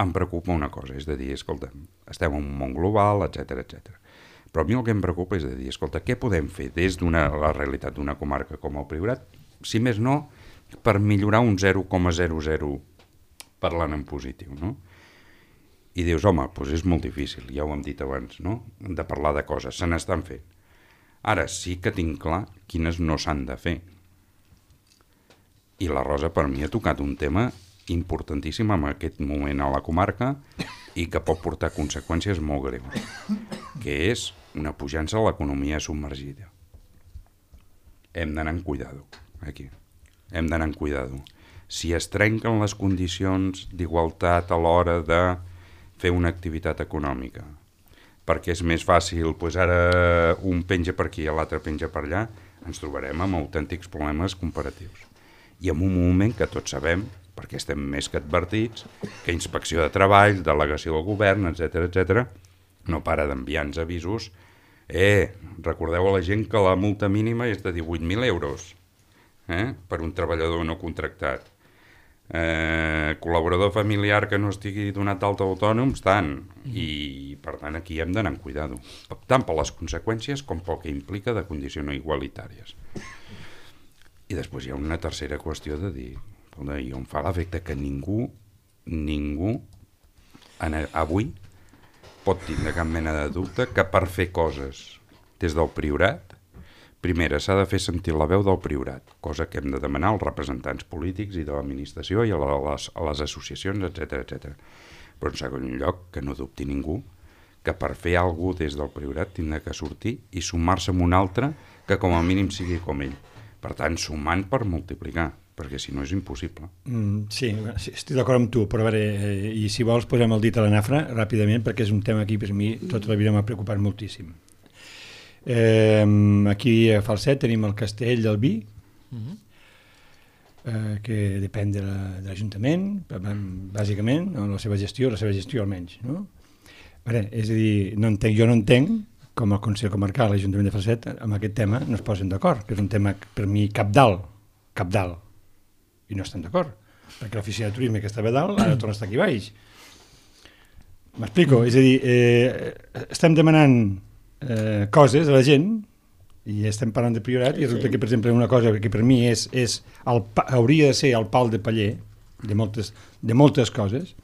em preocupa una cosa, és de dir, escolta, estem en un món global, etc. Però a mi el que em preocupa és de dir, escolta, què podem fer des de la realitat d'una comarca com el Priorat, si més no, per millorar un 0,00 parlant en positiu, no? I dius, home, doncs és molt difícil, ja ho hem dit abans, no? De parlar de coses, se n'estan fent. Ara sí que tinc clar quines no s'han de fer. I la Rosa per mi ha tocat un tema importantíssim en aquest moment a la comarca i que pot portar conseqüències molt greus, que és una pujança a l'economia submergida. Hem d'anar amb cuidado, aquí. Hem d'anar amb cuidado. Si es trenquen les condicions d'igualtat a l'hora de fer una activitat econòmica, perquè és més fàcil, doncs ara un penja per aquí i l'altre penja per allà, ens trobarem amb autèntics problemes comparatius. I en un moment que tots sabem, perquè estem més que advertits, que Inspecció de Treball, delegació del govern, etc., no para d'enviar-nos avisos. Recordeu a la gent que la multa mínima és de 18.000 euros per un treballador no contractat. Col·laborador familiar que no estigui donat d'alta autònoms, tant. I, per tant, aquí hem d'anar amb cuidado. Tant per les conseqüències com pel que implica de condicions no igualitàries. I després hi ha una tercera qüestió de dir, i em fa l'efecte que ningú avui pot tindre cap mena de dubte que per fer coses des del Priorat, primera, s'ha de fer sentir la veu del Priorat, cosa que hem de demanar als representants polítics i de l'administració i a les associacions, etc. Però en segon lloc, que no dubti ningú que per fer alguna cosa des del Priorat tindrà que sortir i sumar-se amb un altre que com a mínim sigui com ell. Per tant, sumant per multiplicar, perquè si no és impossible. Sí, estic d'acord amb tu, però a veure, i si vols posem el dit a la nafra ràpidament, perquè és un tema aquí per mi tota la vida m'ha preocupat moltíssim. Aquí a Falset tenim el Castell del Vi, que depèn de l'Ajuntament, bàsicament, la seva gestió almenys, no? És a dir, jo no entenc com el Consell Comarcal, l'Ajuntament de Falset, amb aquest tema no es posen d'acord, que és un tema per mi cabdal, i no estan d'acord, perquè l'oficina de turisme que estava dalt ara torna a estar aquí baix. M'explico? És a dir, estem demanant coses a la gent i estem parlant de priorat i resulta que, per exemple, una cosa que per mi hauria de ser el pal de paller de moltes coses,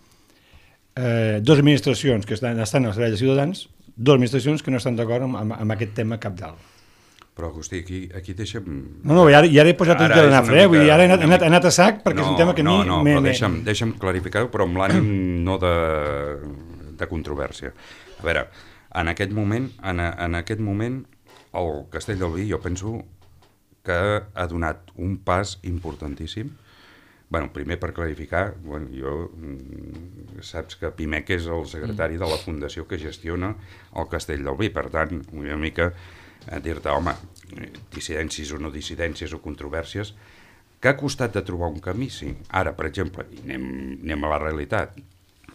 dues administracions que estan al servei de ciutadans, dues administracions que no estan d'acord amb aquest tema cabdal. Però, Agustí, aquí deixa'm... No, i ara he posat el gel a nafra, vull dir, ara he anat a sac perquè és un tema que a mi... No, però deixa'm clarificar-ho, però amb l'ànim no de controvèrsia. A veure, en aquest moment, el Castell del Vi jo penso que ha donat un pas importantíssim. Bueno, primer per clarificar, saps que Pimec és el secretari de la fundació que gestiona el Castell del Vi, per tant, una mica dir-te, home, dissidències o no dissidències o controvèrsies, que ha costat de trobar un camí, sí. Ara, per exemple, anem a la realitat,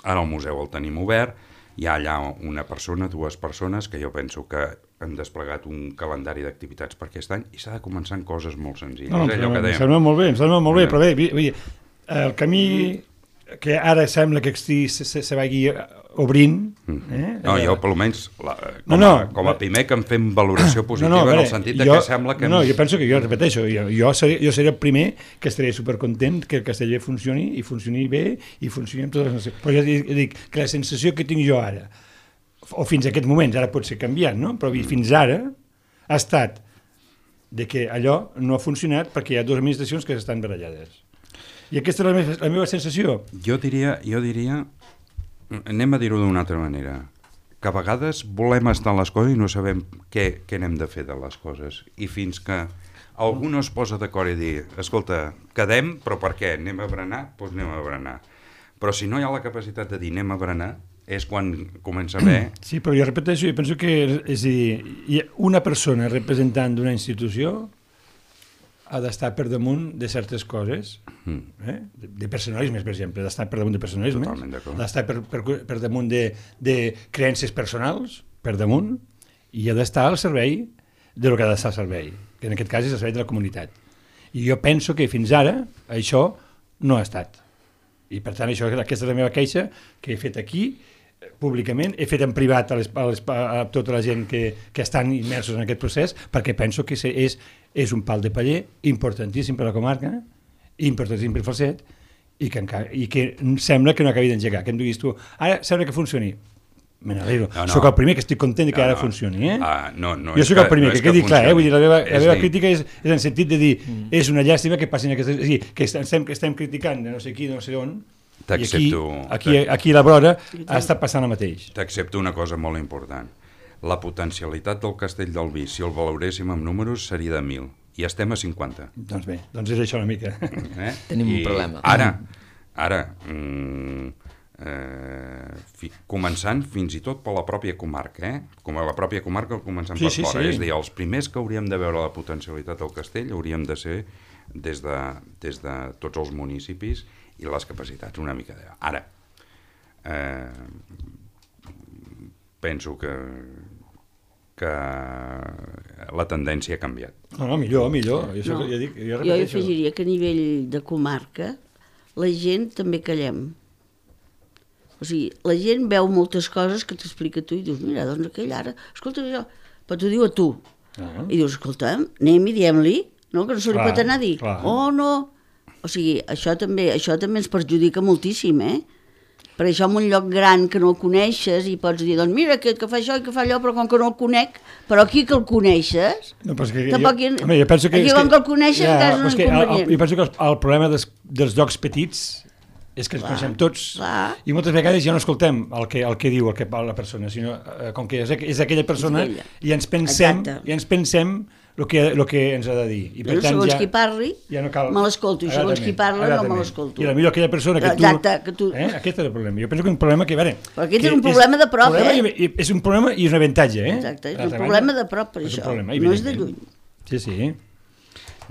ara el museu el tenim obert, hi ha allà una persona, dues persones, que jo penso que han desplegat un calendari d'activitats per aquest any i s'ha de començar amb coses molt senzilles. Em sembla molt bé, però bé, el camí que ara sembla que se vagi obrint... No, jo, per almenys, com a Pimec, em fem valoració positiva en el sentit que sembla que... No, jo penso que, jo repeteixo, jo seré el primer que estaré supercontent que el Castellet funcioni, i funcioni bé, i funcioni amb totes les nacions. Però ja dic que la sensació que tinc jo ara, o fins a aquest moment, ara pot ser canviant, no? Però fins ara ha estat de que allò no ha funcionat perquè hi ha dues administracions que estan barallades. I aquesta és la meva sensació. Jo diria, anem a dir-ho d'una altra manera, que a vegades volem estar en les coses i no sabem què n'hem de fer de les coses. I fins que algú no es posa d'acord i dir, escolta, quedem, però per què? Anem a berenar? Doncs anem a berenar. Però si no hi ha la capacitat de dir anem a berenar, és quan comença a haver... Sí, però jo repeteixo, jo penso que és a dir, una persona representant d'una institució ha d'estar per damunt de certes coses, de personalismes, per exemple, d'estar per damunt de personalismes, d'estar per damunt de creences personals, per damunt, i ha d'estar al servei del que ha d'estar al servei, que en aquest cas és el servei de la comunitat. I jo penso que fins ara això no ha estat. I per tant, aquesta és la meva queixa que he fet aquí, públicament, he fet en privat a tota la gent que estan immersos en aquest procés, perquè penso que és un pal de paller importantíssim per a la comarca, importantíssim per Falset, i que sembla que no acabi d'engegar. Que em diguis tu, ara sembla que funcioni. Me n'alegro. Soc el primer que estic content que ara funcioni. Jo soc el primer, que quedi clar. Vull dir, la meva crítica és en el sentit de dir és una llàstima que passin aquestes... És a dir, que estem criticant de no sé qui, de no sé on, i aquí a la vora ha estat passant el mateix. T'accepto una cosa molt important. La potencialitat del Castell del Vi, si el valoréssim amb números, seria de 1.000. I estem a 50. Doncs bé, doncs és això una mica. Tenim un problema. Ara, començant fins i tot per la pròpia comarca, com a la pròpia comarca començant per fora, és a dir, els primers que hauríem de veure la potencialitat del castell hauríem de ser des de tots els municipis i les capacitats una mica de... Ara, penso que la tendència ha canviat. No, millor. Jo afegiria que a nivell de comarca la gent també callem. O sigui, la gent veu moltes coses que t'explica tu i dius, mira, doncs aquell ara, escolta això, però t'ho diu a tu. I dius, escolta, anem i diem-li, no? Que no se li pot anar a dir, no. O sigui, això també ens perjudica moltíssim, Per això en un lloc gran que no el coneixes i pots dir, doncs mira, que fa això i que fa allò, però com que no el conec, però aquí que el coneixes, tampoc aquí com que el coneixes és un inconvenient. Jo penso que el problema dels llocs petits és que ens coneixem tots i moltes vegades ja no escoltem el que diu la persona, sinó com que és aquella persona i ens pensem el que ens ha de dir. I per tant, segons qui parli, me l'escolto, i segons qui parla no me l'escolto. I potser aquella persona que tu... Exacte, que tu... Aquest és el problema. Jo penso que és un problema que... Però aquest és un problema de prop, És un problema i és un avantatge, Exacte, és un problema de prop, per això. No és de lluny. Sí.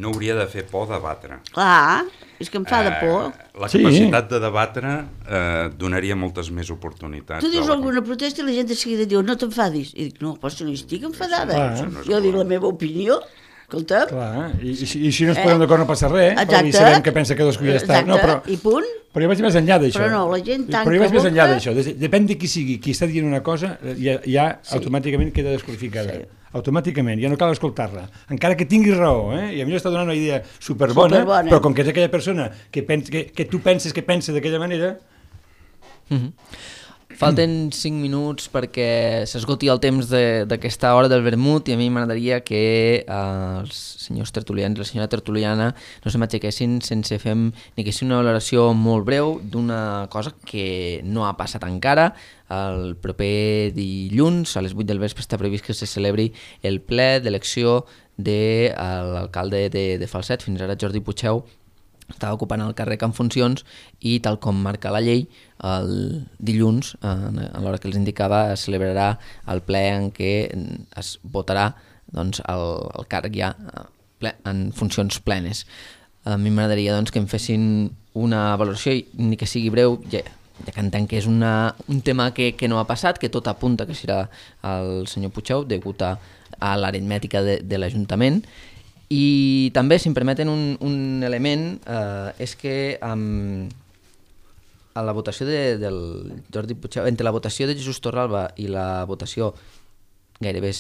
No hauria de fer por debatre. Clar, és que em fa de por. La capacitat de debatre donaria moltes més oportunitats. Tu dius alguna protesta i la gent de seguida diu no t'enfadis. I dic, no, però si no estic enfadada. Jo dic la meva opinió. Escolta. Clar, i si no ens posem d'acord no passa res, però i sabem que pensa que cadascú ja està. I punt. Però jo vaig més enllà d'això. Però no, la gent tanca boca. Però jo vaig més enllà d'això. Depèn de qui sigui, qui està dient una cosa, ja automàticament queda desqualificada. Automàticament, ja no cal escoltar-la. Encara que tingui raó, i a mi està donant una idea superbona, però com que és aquella persona que tu penses que pensa d'aquella manera... Falten 5 minuts perquè s'esgoti el temps d'aquesta hora del vermut i a mi m'agradaria que els senyors tertulians i la senyora tertuliana no se m'aixequessin sense fer ni que sigui una valoració molt breu d'una cosa que no ha passat encara. El proper dilluns a les 8 del vespre està previst que se celebri el ple d'elecció de l'alcalde de Falset. Fins ara Jordi Puigdeu estava ocupant el càrrec en funcions i tal com marca la llei, el dilluns, a l'hora que els indicava, es celebrarà el ple en què es votarà el càrrec ja en funcions plenes. A mi m'agradaria que em fessin una valoració, ni que sigui breu, ja que entenc que és un tema que no ha passat, que tot apunta que serà el senyor Puigdeu, degut a l'aritmètica de l'Ajuntament. I també, si em permeten un element, és que a la votació del Jordi Puigdeu, entre la votació de Jesús Torralba i la votació gairebé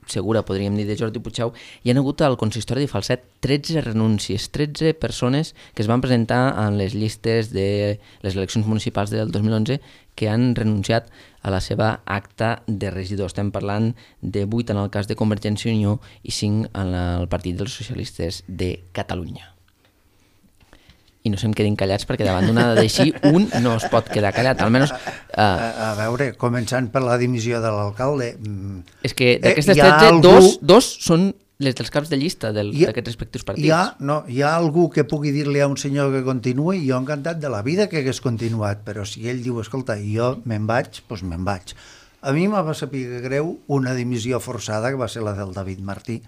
segura, podríem dir, de Jordi Puigdeu, hi ha hagut al consistori de Falset 13 renúncies, 13 persones que es van presentar en les llistes de les eleccions municipals del 2011 que han renunciat a la seva acta de regidor. Estem parlant de 8 en el cas de Convergència i Unió i 5 en el Partit dels Socialistes de Catalunya. I no se'm quedin callats perquè davant d'una dada així un no es pot quedar callat, almenys... A veure, començant per la dimissió de l'alcalde... És que d'aquestes 13, dos són les dels caps de llista d'aquests respectius partits. Hi ha algú que pugui dir-li a un senyor que continuï, jo encantat de la vida que hagués continuat, però si ell diu, escolta, jo me'n vaig, doncs me'n vaig. A mi m'ha saber greu una dimissió forçada, que va ser la del David Martí,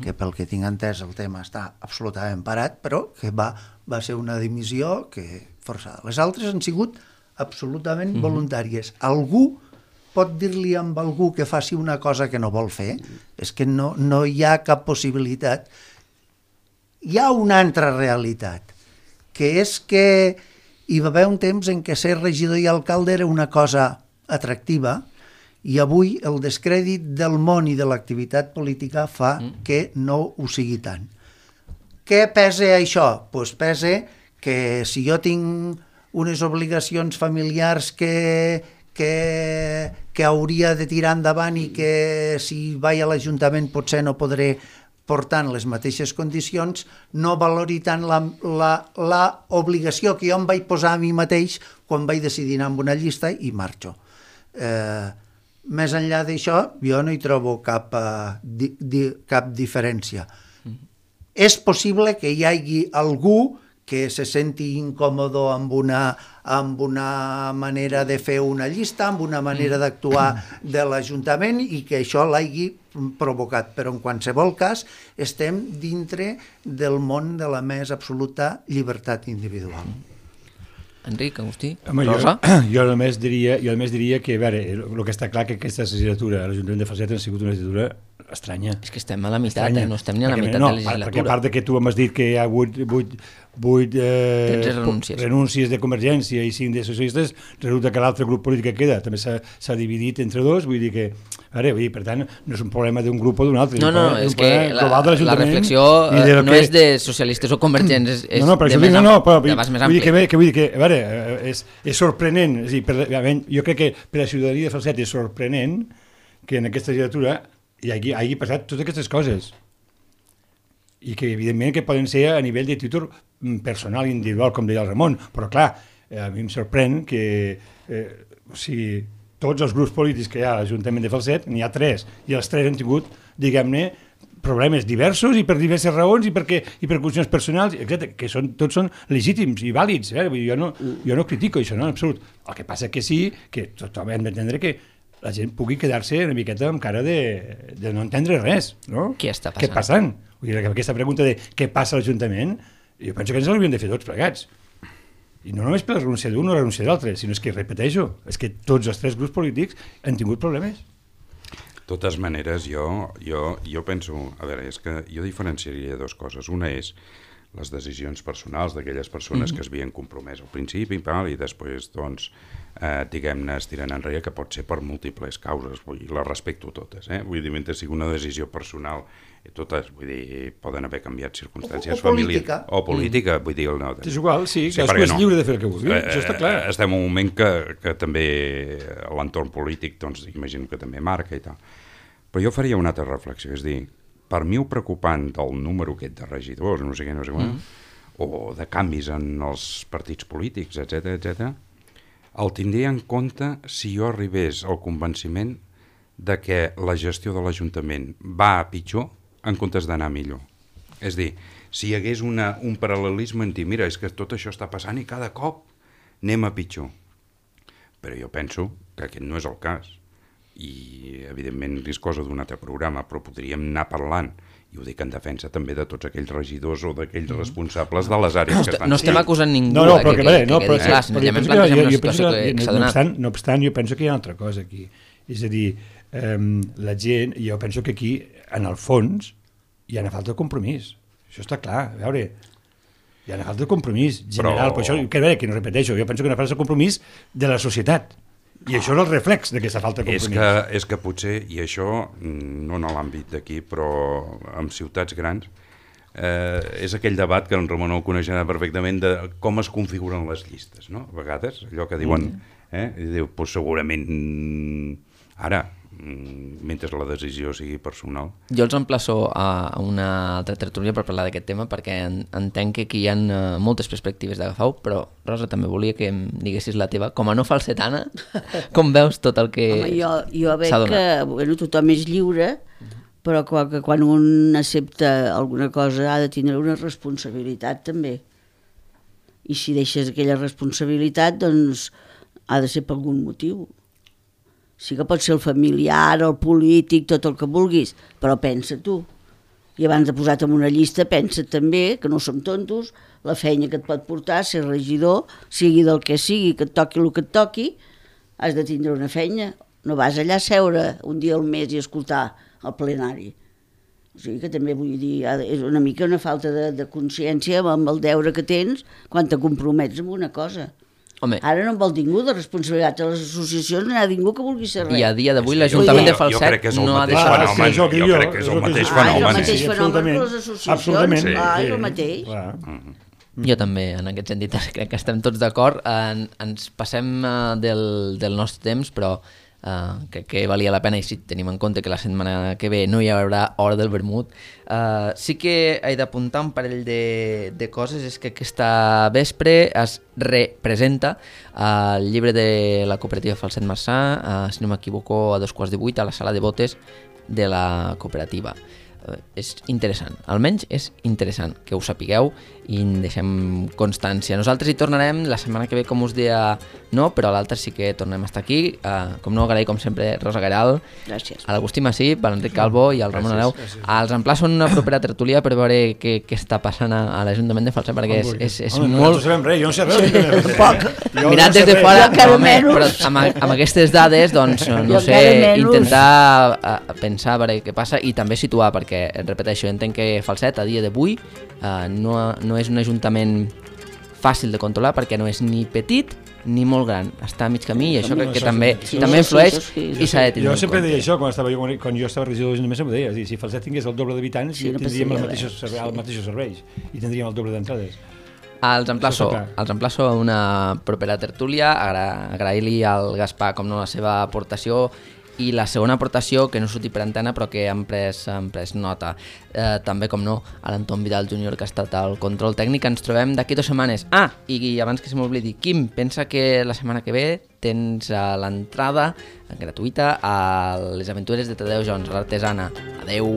que pel que tinc entès el tema està absolutament parat, però que va ser una dimissió forçada. Les altres han sigut absolutament voluntàries. Algú pot dir-li a algú que faci una cosa que no vol fer? És que no hi ha cap possibilitat. Hi ha una altra realitat, que és que hi va haver un temps en què ser regidor i alcalde era una cosa atractiva, i avui el descrèdit del món i de l'activitat política fa que no ho sigui tant. Què pesa això? Doncs pesa que si jo tinc unes obligacions familiars que hauria de tirar endavant i que si vaig a l'Ajuntament potser no podré portar en les mateixes condicions, no valori tant l'obligació que jo em vaig posar a mi mateix quan vaig decidir anar amb una llista i marxo. Més enllà d'això, jo no hi trobo cap diferència. És possible que hi hagi algú que se senti incòmodo amb una manera de fer una llista, amb una manera d'actuar de l'Ajuntament i que això l'hagi provocat. Però en qualsevol cas estem dintre del món de la més absoluta llibertat individual. Enric, Agustí, Rosa? Jo només diria que, a veure, el que està clar que aquesta legislatura a l'Ajuntament de Falset ha sigut una legislatura estranya. És que estem a la meitat, no estem ni a la meitat de la legislatura. Perquè a part que tu m'has dit que hi ha 8 renúncies de Convergència i 5 de socialistes, resulta que l'altre grup polític que queda també s'ha dividit entre dos, vull dir que, per tant, no és un problema d'un grup o d'un altre. No, és que la reflexió no és de socialistes o convergents, és de base més ampli. Vull dir que, a veure, és sorprenent, jo crec que per a la ciutadania de Falset és sorprenent que en aquesta legislatura hi hagi passat totes aquestes coses i que evidentment que poden ser a nivell de títol personal i individual, com deia el Ramon, però clar, a mi em sorprèn que tots els grups polítics que hi ha a l'Ajuntament de Falset, n'hi ha 3, i els 3 han tingut, diguem-ne, problemes diversos i per diverses raons i per qüestions personals, etc, que tots són legítims i vàlids. Jo no critico això, no, en absolut. El que passa que sí, que tothom hem d'entendre que la gent pugui quedar-se una miqueta amb cara de no entendre res, no? Què està passant? Què passant? Vull dir, aquesta pregunta de què passa a l'Ajuntament, jo penso que ens l'hauríem de fer tots plegats. I no només per la renúncia d'un o la renúncia d'altre, sinó que, repeteixo, és que tots els tres grups polítics han tingut problemes. De totes maneres, jo penso... A veure, és que jo diferenciaria dues coses. Una és les decisions personals d'aquelles persones que es havien compromès al principi i després, doncs, diguem-ne, es tiren enrere, que pot ser per múltiples causes, vull dir, les respecto totes, vull dir, mentre sigui una decisió personal, totes, vull dir, poden haver canviat circumstàncies familiars. O política, vull dir... No, és igual, sí, cadascú és lliure de fer el que vulgui, això està clar. Estem en un moment que també l'entorn polític, doncs, imagino que també marca i tal. Però jo faria una altra reflexió, és dir, per mi el preocupant del número aquest de regidors, no sé què, o de canvis en els partits polítics, etc, el tindria en compte si jo arribés al convenciment de que la gestió de l'Ajuntament va a pitjor en comptes d'anar millor. És dir, si hi hagués un paral·lelisme en dir, mira, és que tot això està passant i cada cop anem a pitjor. Però jo penso que aquest no és el cas. I evidentment és cosa d'un altre programa, però podríem anar parlant, i ho dic en defensa també de tots aquells regidors o d'aquells responsables de les àrees que estan... No estem acusant ningú no, que jo senzillament no obstant, jo penso que hi ha una altra cosa aquí, és a dir, la gent, jo penso que aquí en el fons hi ha una falta de compromís, això està clar, a veure, hi ha una falta de compromís general, però això que no repeteixo, jo penso que hi ha una falta de compromís de la societat. I això és el reflex d'aquesta falta de compromís. És que potser, i això no en l'àmbit d'aquí, però en ciutats grans, és aquell debat que en Ramon el coneixerà perfectament de com es configuren les llistes, no? A vegades, allò que diuen, i diu, doncs segurament ara, mentre la decisió sigui personal. Jo els emplaço a una altra tertúlia per parlar d'aquest tema, perquè entenc que aquí hi ha moltes perspectives d'agafar-ho, però Rosa, també volia que em diguessis la teva, com a no falsetana, com veus tot el que jo veig que tothom és lliure, però que quan un accepta alguna cosa ha de tindre una responsabilitat també. I si deixes aquella responsabilitat, doncs ha de ser per algun motiu. Sí que pot ser el familiar, el polític, tot el que vulguis, però pensa tu. I abans de posar-te en una llista, pensa també, que no som tontos, la feina que et pot portar, ser regidor, sigui del que sigui, que et toqui el que et toqui, has de tindre una feina. No vas allà a seure un dia al mes i escoltar el plenari. O sigui que també vull dir, és una mica una falta de consciència amb el deure que tens quan te compromets amb una cosa. Home. Ara no en vol ningú de responsabilitat a les associacions, no hi ha ningú que vulgui ser res. I a dia d'avui l'Ajuntament de Falset no ha deixat... Jo crec que és el mateix fenomen. És el mateix fenomen que les associacions. És el mateix. Jo també, en aquest sentit, crec que estem tots d'acord. Ens passem del nostre temps, però crec que valia la pena, i si tenim en compte que la setmana que ve no hi haurà Hora del Vermut, sí que he d'apuntar un parell de coses. És que aquesta vespre es representa el llibre de la cooperativa Falset Marçà, si no m'equivoco, a 7:15 a la sala de botes de la cooperativa. És interessant, almenys és interessant que ho sapigueu i en deixem constància. Nosaltres hi tornarem la setmana que ve, com us deia, no, però l'altre sí que tornem a estar aquí. Com no, agrair com sempre Rosa Garal, gràcies, a l'Agustí Massip, a l'Enric Calvo i al Ramon Areu. Els emplaço en una propera tertúlia per veure què està passant a l'Ajuntament de Falset, perquè és molt... No sabem res, jo no sé res. Mirat des de fora, però amb aquestes dades, doncs, no sé, intentar pensar a veure què passa i també situar, perquè repeteixo, entenc que Falset a dia d'avui no és un ajuntament fàcil de controlar, perquè no és ni petit ni molt gran, està a mig camí, i això crec que també influeix i s'ha de tindre en compte. Jo sempre deia això, quan jo estava regidor d'Ajuntament, sempre deia, si Falset tingués el doble d'habitants, tindríem els mateixos serveis i tindríem el doble d'entrades. Els emplaço a una propera tertúlia, agrair-li al Gaspar com no la seva aportació, i la segona aportació, que no surti per antena però que han pres nota, també com no a l'Anton Vidal Júnior, que ha estat al control tècnic. Ens trobem d'aquí 2 setmanes. I abans que se m'oblidi, Quim, pensa que la setmana que ve tens l'entrada gratuïta a les aventures de Tadeu Jones, a l'Artesana. Adeu.